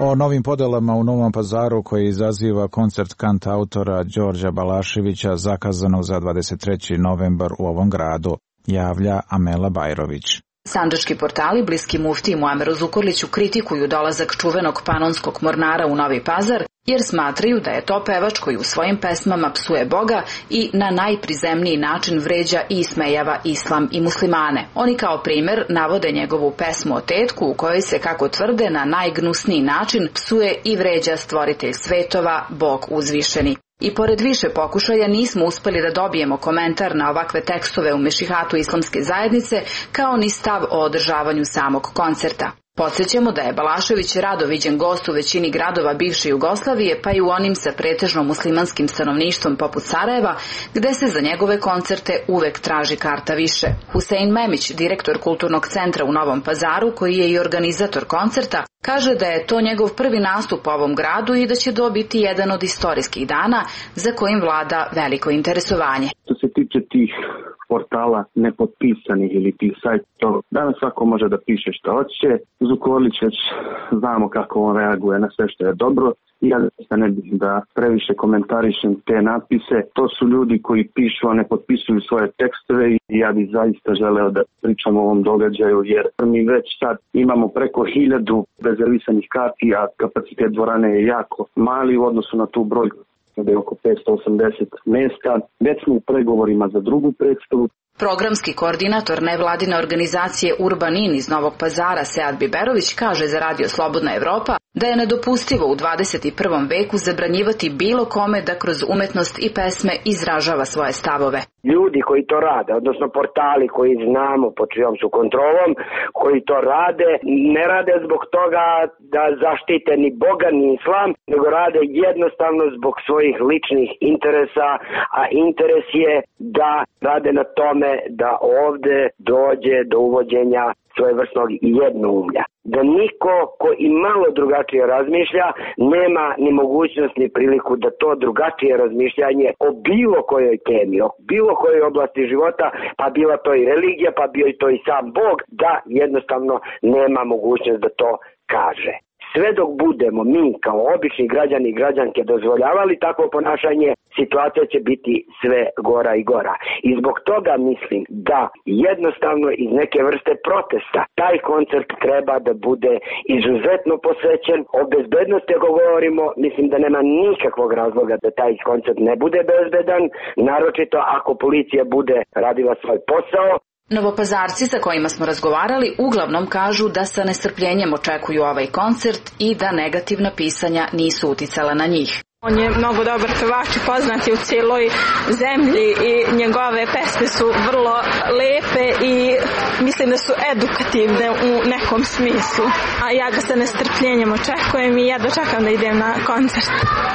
O novim podelama u Novom Pazaru koji izaziva koncert kantautora Đorđa Balaševića zakazanog za dvadeset treći novembar u ovom gradu, javlja Amela Bajrović. Sandžački portali bliski muftiji Muameru Zukorliću kritikuju dolazak čuvenog panonskog mornara u Novi Pazar jer smatraju da je to pevač koji u svojim pesmama psuje Boga i na najprizemniji način vređa i ismejava islam i muslimane. Oni kao primjer navode njegovu pesmu o tetku u kojoj se, kako tvrde, na najgnusniji način psuje i vređa stvoritelj svetova, Bog uzvišeni. I pored više pokušaja nismo uspjeli da dobijemo komentar na ovakve tekstove u mešihatu islamske zajednice, kao ni stav o održavanju samog koncerta. Podsjećamo da je Balašević rado viđen gost u većini gradova bivše Jugoslavije, pa i u onim sa pretežno muslimanskim stanovništvom poput Sarajeva, gde se za njegove koncerte uvek traži karta više. Husein Memić, direktor Kulturnog centra u Novom Pazaru, koji je i organizator koncerta, kaže da je to njegov prvi nastup u ovom gradu i da će to biti jedan od istorijskih dana za kojim vlada veliko interesovanje. Što se tiče tih portala nepotpisanih ili tih sajtova, danas svako može da piše što hoće. Zukorlić već znamo kako on reaguje na sve što je dobro. Ja ne bih da previše komentarišem te natpise. To su ljudi koji pišu, a ne potpisuju svoje tekstove i ja bih zaista želeo da pričam o ovom događaju, jer mi već sad imamo preko hiljadu rezervisanih karti, a kapacitet dvorane je jako mali u odnosu na tu brojku da je oko petsto osamdeset mesta. Već smo u pregovorima za drugu predstavu. Programski koordinator nevladine organizacije Urban In iz Novog Pazara Sead Biberović kaže za Radio Slobodna Evropa da je nedopustivo u dvadeset i prvom veku zabranjivati bilo kome da kroz umetnost i pesme izražava svoje stavove. Ljudi koji to rade, odnosno portali koji znamo pod čijom su kontrolom, koji to rade, ne rade zbog toga da zaštite ni Boga ni Islam, nego rade jednostavno zbog svojih ličnih interesa, a interes je da rade na tome da ovde dođe do uvođenja svojevrsnog jednoumlja. Da niko ko i malo drugačije razmišlja nema ni mogućnost ni priliku da to drugačije razmišljanje o bilo kojoj temi, o bilo kojoj oblasti života, pa bila to i religija, pa bio i to i sam Bog, da jednostavno nema mogućnost da to kaže. Sve dok budemo mi kao obični građani i građanke dozvoljavali takvo ponašanje, situacija će biti sve gora i gora. I zbog toga mislim da jednostavno iz neke vrste protesta taj koncert treba da bude izuzetno posvećen. O bezbednosti ako govorimo, mislim da nema nikakvog razloga da taj koncert ne bude bezbedan, naročito ako policija bude radila svoj posao. Novopazarci sa kojima smo razgovarali uglavnom kažu da sa nestrpljenjem očekuju ovaj koncert i da negativna pisanja nisu uticala na njih. On je mnogo dobar pevač i poznat je u cijeloj zemlji i njegove pesme su vrlo lepe i mislim da su edukativne u nekom smislu. A ja ga sa nestrpljenjem očekujem i ja dočekam da idem na koncert.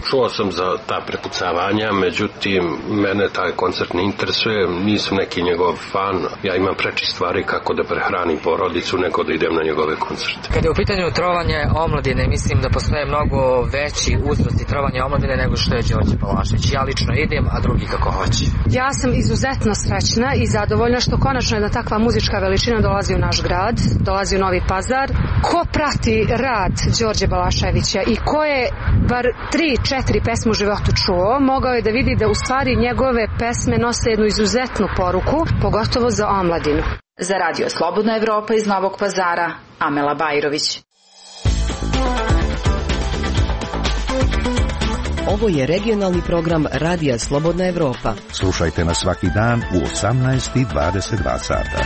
Čuo sam za ta prepucavanja, međutim mene taj koncert ne interesuje, nisam neki njegov fan. Ja imam preči stvari kako da prehranim porodicu nego da idem na njegove koncerte. Kad je u pitanju trovanje omladine, mislim da postoje mnogo veći uzrosti trovanja omladine nego što je Đorđe Balašević. Ja lično idem, a drugi kako hoće. Ja sam izuzetno srećna i zadovoljna što konačno jedna takva muzička veličina dolazi u naš grad, dolazi u Novi Pazar. Ko prati rad Đorđe Balaševića i ko je bar tri, četiri pesme u životu čuo, mogao je da vidi da u stvari njegove pesme nose jednu izuzetnu poruku, pogotovo za omladinu. Za Radio Slobodna Evropa iz Novog Pazara, Amela Bajrović. Ovo je regionalni program Radija Slobodna Evropa. Slušajte nas svaki dan u osamnaest i dvadeset dva sata.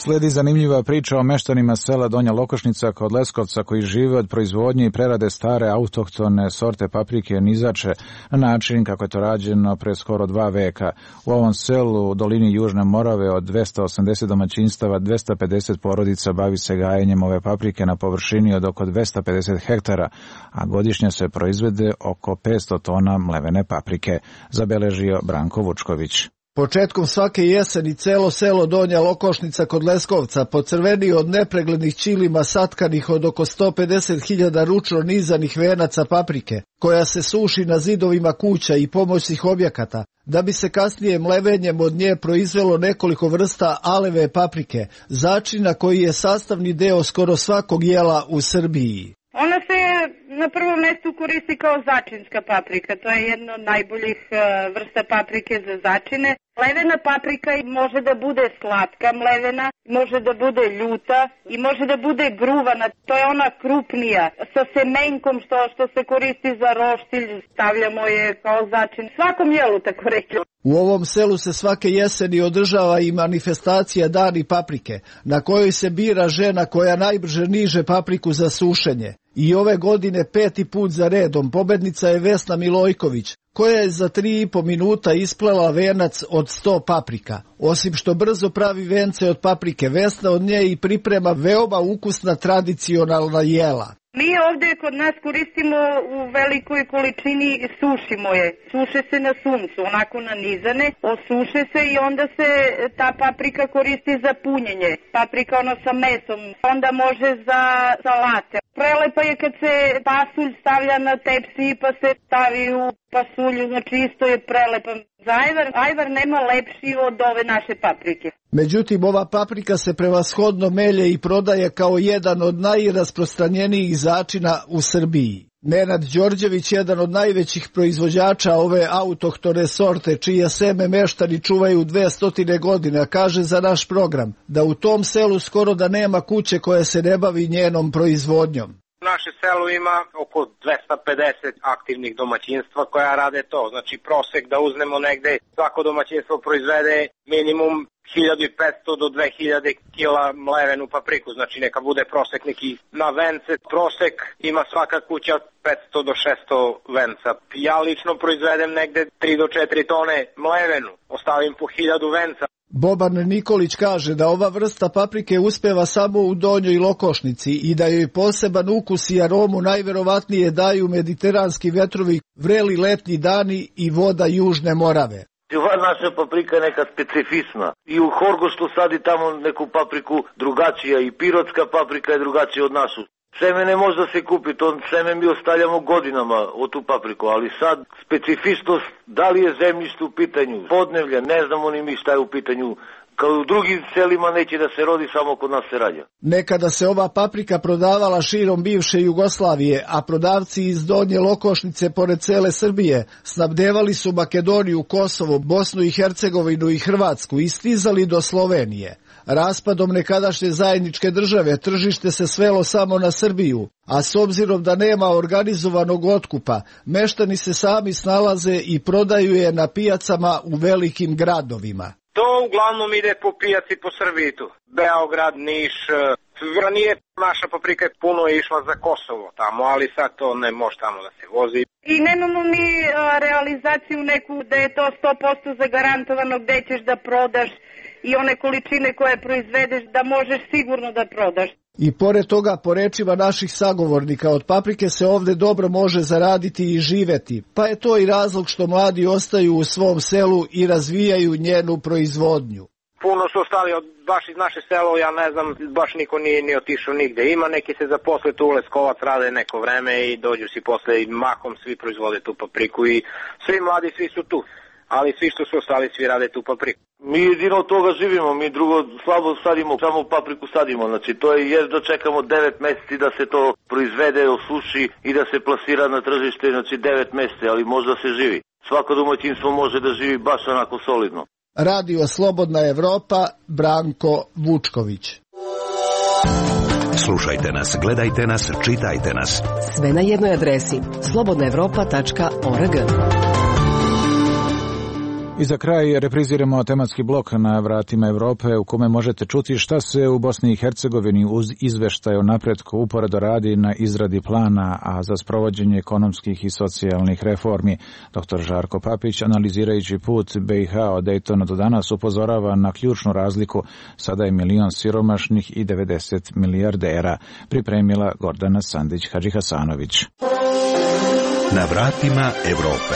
Slijedi zanimljiva priča o meštanima sela Donja Lokošnica kod Leskovca koji žive od proizvodnje i prerade stare autohtone sorte paprike nizače na način kako je to rađeno pre skoro dva veka. U ovom selu u dolini Južne Morave od dvesta osamdeset domaćinstava dvesta pedeset porodica bavi se gajenjem ove paprike na površini od oko dvesta pedeset hektara, a godišnje se proizvede oko petsto tona mlevene paprike, zabeležio Branko Vučković. Početkom svake jeseni celo selo Donja Lokošnica kod Leskovca pocrveni od nepreglednih ćilima satkanih od oko sto pedeset hiljada ručno nizanih venaca paprike, koja se suši na zidovima kuća i pomoćnih objekata, da bi se kasnije mlevenjem od nje proizvelo nekoliko vrsta aleve paprike, začina koji je sastavni deo skoro svakog jela u Srbiji. Ona se na prvom mjestu koristi kao začinska paprika, to je jedna od najboljih vrsta paprike za začine. Mlevena paprika može da bude slatka mlevena, može da bude ljuta i može da bude gruvana, to je ona krupnija, sa semenkom što, što se koristi za roštilj, stavljamo je kao začin, svakom jelu tako reći. U ovom selu se svake jeseni održava i manifestacija Dani paprike, na kojoj se bira žena koja najbrže niže papriku za sušenje. I ove godine peti put za redom pobednica je Vesna Milojković, koja je za tri i po minuta isplela venac od sto paprika. Osim što brzo pravi vence od paprike, Vesna od nje i priprema veoma ukusna tradicionalna jela. Mi ovdje kod nas koristimo u velikoj količini, sušimo je. Suše se na suncu, onako nanizane, osuše se i onda se ta paprika koristi za punjenje. Paprika ono sa mesom, onda može za salate. Prelepa je kad se pasulj stavlja na tepsi pa se stavi u pasulju, znači isto je prelepa. Za ajvar, ajvar nema lepši od ove naše paprike. Međutim, ova paprika se prevashodno melje i prodaje kao jedan od najrasprostranjenijih začina u Srbiji. Nenad Đorđević, jedan od najvećih proizvođača ove autohtone sorte, čije seme meštani čuvaju dvesta godina, kaže za naš program da u tom selu skoro da nema kuće koja se ne bavi njenom proizvodnjom. Naše selo ima oko dvesta pedeset aktivnih domaćinstva koja rade to. Znači prosek da uzmemo negde, svako domaćinstvo proizvede minimum hiljadu petsto do dve hiljade kila mlevenu papriku. Znači neka bude prosek neki na vence. Prosek ima svaka kuća petsto do šesto venca. Ja lično proizvedem negde tri do četiri tone mlevenu. Ostavim po hiljadu venca. Boban Nikolić kaže da ova vrsta paprike uspeva samo u Donjoj Lokošnici i da joj poseban ukus i aromu najverovatnije daju mediteranski vetrovi, vreli letnji dani i voda Južne Morave. Ova naša paprika je neka specifična. I u Horgoštu sadi tamo neku papriku drugačija i pirotska paprika je drugačija od našu. Seme ne može da se kupi, to seme mi ostavljamo godinama od tu papriku, ali sad specifičnost, da li je zemljište u pitanju, podnevlja, ne znamo ni mi šta je u pitanju, kao i u drugim selima neće da se rodi, samo kod nas se rađa. Nekada se ova paprika prodavala širom bivše Jugoslavije, a prodavci iz Donje Lokošnice pored cele Srbije snabdevali su Makedoniju, Kosovo, Bosnu i Hercegovinu i Hrvatsku i stizali do Slovenije. Raspadom nekadašnje zajedničke države tržište se svelo samo na Srbiju, a s obzirom da nema organizovanog otkupa, meštani se sami snalaze i prodaju je na pijacama u velikim gradovima. To uglavnom ide po pijaci po Srbitu. Beograd, Niš, ranije naša paprika je puno išla za Kosovo tamo, ali sad to ne može tamo da se vozi. I nemamo mi a, realizaciju neku da je to sto posto zagarantovano gde ćeš da prodaš i one količine koje proizvedeš da možeš sigurno da prodaš. I pored toga, po rečima naših sagovornika, od paprike se ovde dobro može zaraditi i živeti, pa je to i razlog što mladi ostaju u svom selu i razvijaju njenu proizvodnju. Puno su ostali od baš iz naše selo, ja ne znam, baš niko nije ni otišao nigde. Ima neki se zaposle tu u Leskovac, rade neko vreme i dođu si posle i mahom svi proizvode tu papriku i svi mladi, svi su tu. Ali svi što su ostali, svi rade tu papriku. Mi jedino od toga živimo, mi drugo slabo sadimo, samo papriku sadimo. Znači to je jer dočekamo devet meseci da se to proizvede, osuši i da se plasira na tržište, znači devet meseci, ali može da se živi. Svako domaćinstvo može da živi baš onako solidno. Radio Slobodna Evropa, Branko Vučković. Slušajte nas, gledajte nas, čitajte nas. Sve na jednoj adresi slobodna evropa tačka org. I za kraj repriziramo tematski blok na vratima Evrope u kome možete čuti šta se u Bosni i Hercegovini uz izveštaj o napretku uporedo radi na izradi plana, a za sprovođenje ekonomskih i socijalnih reformi. Doktor Žarko Papić, analizirajući put B i H od Dejtona do danas, upozorava na ključnu razliku. Sada je milion siromašnih i devedeset milijardera. Pripremila Gordana Sandić-Hadžihasanović. Na vratima Evrope.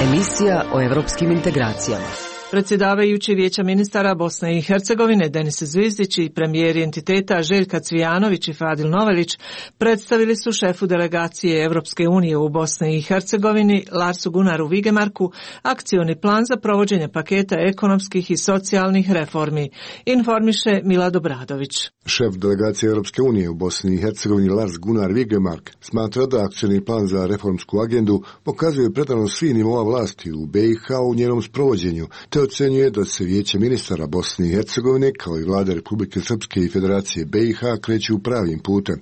Emisija o evropskim integracijama. Predsjedavajući Vijeća ministara Bosne i Hercegovine Denis Zvizdić i premijeri entiteta Željka Cvijanović i Fadil Novelić predstavili su šefu delegacije Evropske unije u Bosni i Hercegovini Larsu Gunaru Vigemarku akcioni plan za provođenje paketa ekonomskih i socijalnih reformi, informiše Milad Obradović. Šef delegacije Europske unije u Bosni i Hercegovini Lars Gunnar Vigemark smatra da akcioni plan za reformsku agendu pokazuje predanost svih nivoa vlasti u B i H u njenom sprovođenju, te ocenjuje da se Vijeće ministara Bosne i Hercegovine, kao i vlade Republike Srpske i Federacije B i H, kreću pravim putem.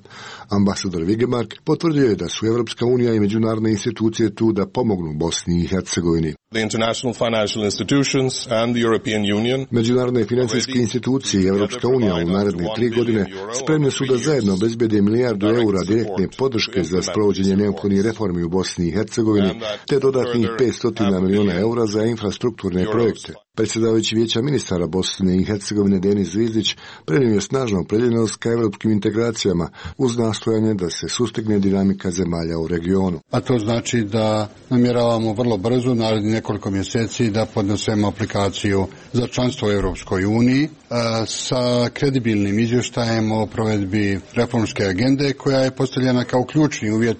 Ambasador Vigemark potvrdio je da su Evropska unija i međunarodne institucije tu da pomognu Bosni i Hercegovini. The international financial institutions and the European Union. Međunarodne financijske institucije i Evropska unija u naredne tri godine spremne su da zajedno obezbede milijardu eura direktne podrške za sprovođenje neophodnih reformi u Bosni i Hercegovini, te dodatnih petsto miliona eura za infrastrukturne projekte. Predsjedavajući Vijeća ministara Bosne i Hercegovine Denis Zvizdić prenio je snažnu opredjeljenost ka evropskim integracijama uz nastojanje da se sustigne dinamika zemalja u regionu. A to znači da namjeravamo vrlo brzo, narednih nekoliko mjeseci, da podnesemo aplikaciju za članstvo u Europskoj uniji sa kredibilnim izvještajem o provedbi reformske agende koja je postavljena kao ključni uvjet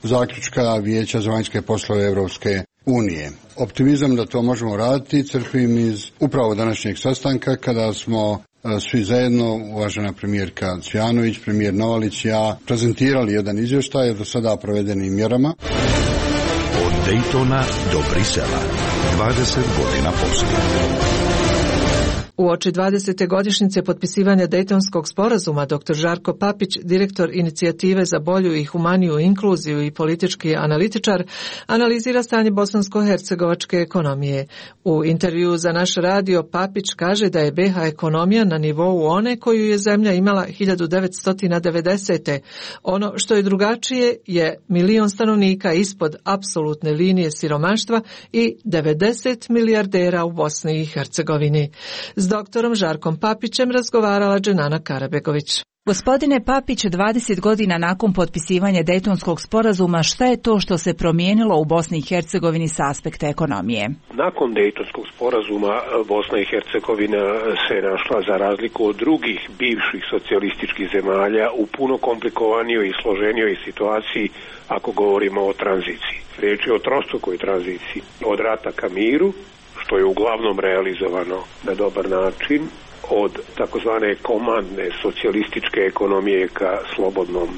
zaključka Vijeća za vanjske poslove Europske unije. Optimizam da to možemo raditi crpim iz upravo današnjeg sastanka kada smo svi zajedno, uvažena premijerka Cvijanović, premijer Novalić i ja, prezentirali jedan izvještaj o do sada provedenim mjerama. Od Daytona do Brisela, dvadeset godina poslije. Uoči dvadesete godišnjice potpisivanja Dejtonskog sporazuma, doktor Žarko Papić, direktor inicijative za bolju i humaniju inkluziju i politički analitičar, analizira stanje bosansko-hercegovačke ekonomije. U intervjuu za naš radio Papić kaže da je B H ekonomija na nivou one koju je zemlja imala hiljadu devetsto devedesete. Ono što je drugačije je milion stanovnika ispod apsolutne linije siromaštva i devedeset milijardera u Bosni i Hercegovini. S doktorom Žarkom Papićem razgovarala Dženana Karabegović. Gospodine Papić, dvadeset godina nakon potpisivanja Dejtonskog sporazuma, šta je to što se promijenilo u Bosni i Hercegovini s aspekta ekonomije? Nakon Dejtonskog sporazuma Bosna i Hercegovina se našla, za razliku od drugih bivših socijalističkih zemalja, u puno komplikovanijoj i složenijoj situaciji ako govorimo o tranziciji. Riječ je o trostrukoj tranziciji, od rata ka miru, što je uglavnom realizovano na dobar način, od takozvane komandne socijalističke ekonomije ka slobodnom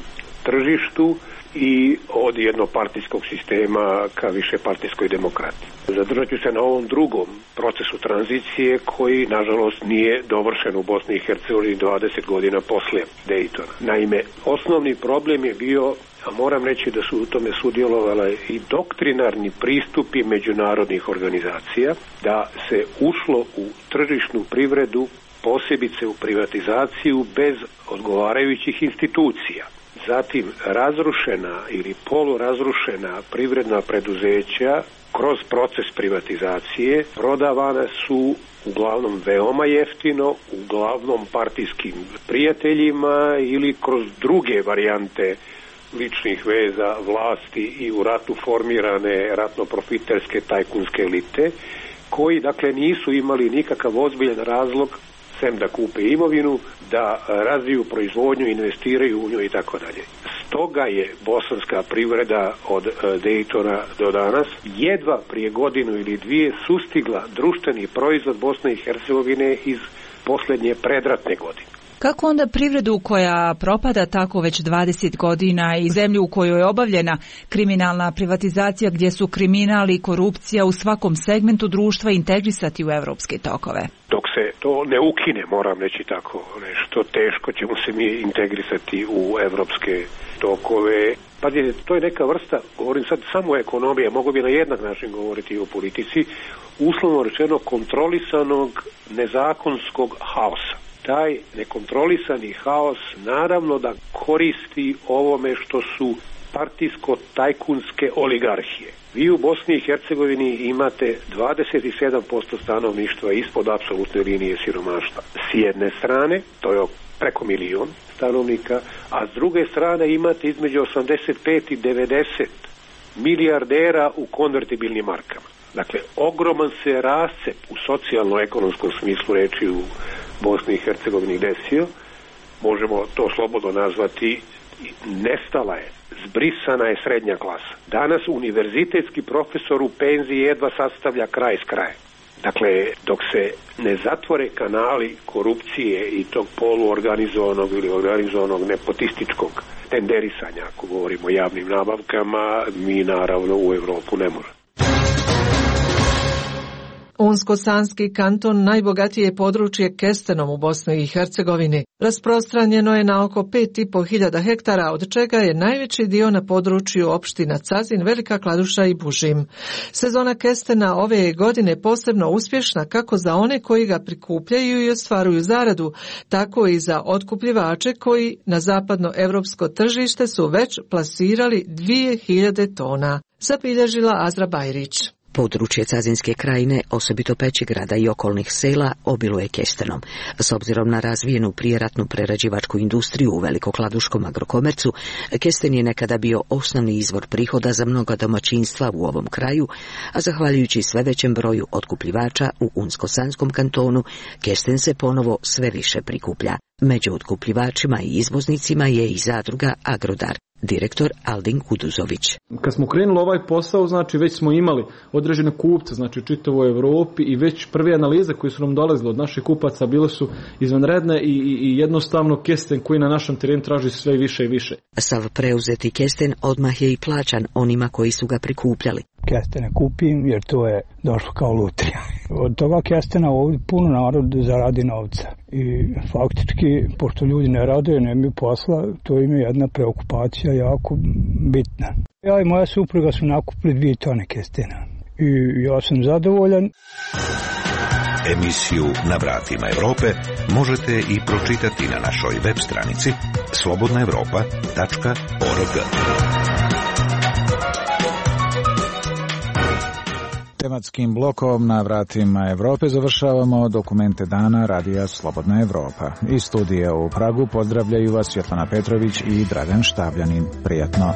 tržištu i od jednopartijskog sistema ka višepartijskoj demokratiji. Zadržat ću se na ovom drugom procesu tranzicije koji, nažalost, nije dovršen u Bosni i Hercegovini dvadeset godina poslije Dejtona. Naime, osnovni problem je bio, a moram reći da su u tome sudjelovale i doktrinarni pristupi međunarodnih organizacija, da se ušlo u tržišnu privredu, posebice u privatizaciju, bez odgovarajućih institucija. Zatim razrušena ili polurazrušena privredna preduzeća kroz proces privatizacije prodavane su uglavnom veoma jeftino, uglavnom partijskim prijateljima ili kroz druge varijante ličnih veza vlasti i u ratu formirane ratno-profiterske tajkunske elite, koji dakle nisu imali nikakav ozbiljan razlog sem da kupe imovinu, da razviju proizvodnju, investiraju u nju i tako dalje. Stoga je bosanska privreda od Dejtona do danas jedva prije godinu ili dvije sustigla društveni proizvod Bosne i Hercegovine iz posljednje predratne godine. Kako onda privredu koja propada tako već dvadeset godina i zemlju u kojoj je obavljena kriminalna privatizacija gdje su kriminal i korupcija u svakom segmentu društva integrisati u evropske tokove? Dok se to ne ukine, moram reći tako nešto, teško ćemo se mi integrisati u evropske tokove. Pa to je neka vrsta, govorim sad samo o ekonomiji, mogu bi na jednak način govoriti i o politici, uslovno rečeno kontrolisanog nezakonskog haosa. Taj nekontrolisani haos naravno da koristi ovome što su partijsko-tajkunske oligarhije. Vi u Bosni i Hercegovini imate dvadeset sedam posto stanovništva ispod apsolutne linije siromaštva. S jedne strane, to je preko milion stanovnika, a s druge strane imate između osamdeset pet i devedeset milijardera u konvertibilnim markama. Dakle, ogroman se rascep u socijalno-ekonomskom smislu reči u Bosni i Hercegovini desio, možemo to slobodno nazvati, nestala je, zbrisana je srednja klasa. Danas univerzitetski profesor u penziji jedva sastavlja kraj s krajem. Dakle, dok se ne zatvore kanali korupcije i tog poluorganizovanog ili organizovanog nepotističkog tenderisanja, ako govorimo o javnim nabavkama, mi naravno u Europu ne možemo. Unsko-Sanski kanton najbogatije je područje kestenom u Bosni i Hercegovini. Rasprostranjeno je na oko pet i po hiljada hektara, od čega je najveći dio na području opština Cazin, Velika Kladuša i Bužim. Sezona kestena ove je godine posebno uspješna kako za one koji ga prikupljaju i ostvaruju zaradu, tako i za otkupljivače koji na zapadno evropsko tržište su već plasirali dvije hiljade tona, zabilježila Azra Bajrić. Područje Cazinske krajine, osobito Pećegrada i okolnih sela, obiluje kestenom. S obzirom na razvijenu prijeratnu prerađivačku industriju u Velikokladuškom agrokomercu, kesten je nekada bio osnovni izvor prihoda za mnoga domaćinstva u ovom kraju, a zahvaljujući sve većem broju otkupljivača u Unsko-Sanskom kantonu, kesten se ponovo sve više prikuplja. Među otkupljivačima i izvoznicima je i zadruga Agrodar. Direktor Aldin Kuduzović. Kad smo krenuli ovaj posao, znači već smo imali određene kupce, znači u čitavoj Evropi, i već prve analize koje su nam dolazile od naših kupaca bile su izvanredne i, i, i jednostavno kesten koji na našem terenu traži sve više i više. Sav preuzeti kesten odmah je i plaćan onima koji su ga prikupljali. Kestene kupim jer to je došlo kao lutrija. Od toga kestena ovdje puno narod zaradi novca. I faktički, pošto ljudi ne rade, nemaju posla, to im je jedna preokupacija jako bitna. Ja i moja supruga su nakupili dvije tone kestena. I ja sam zadovoljan. Emisiju Na vratima Evrope možete i pročitati na našoj web stranici slobodna evropa tačka org. Tematskim blokom Na vratima Evrope završavamo dokumente dana radija Slobodna Evropa. Iz studija u Pragu pozdravljaju vas Svjetlana Petrović i Dragan Štavljanin. Prijatno.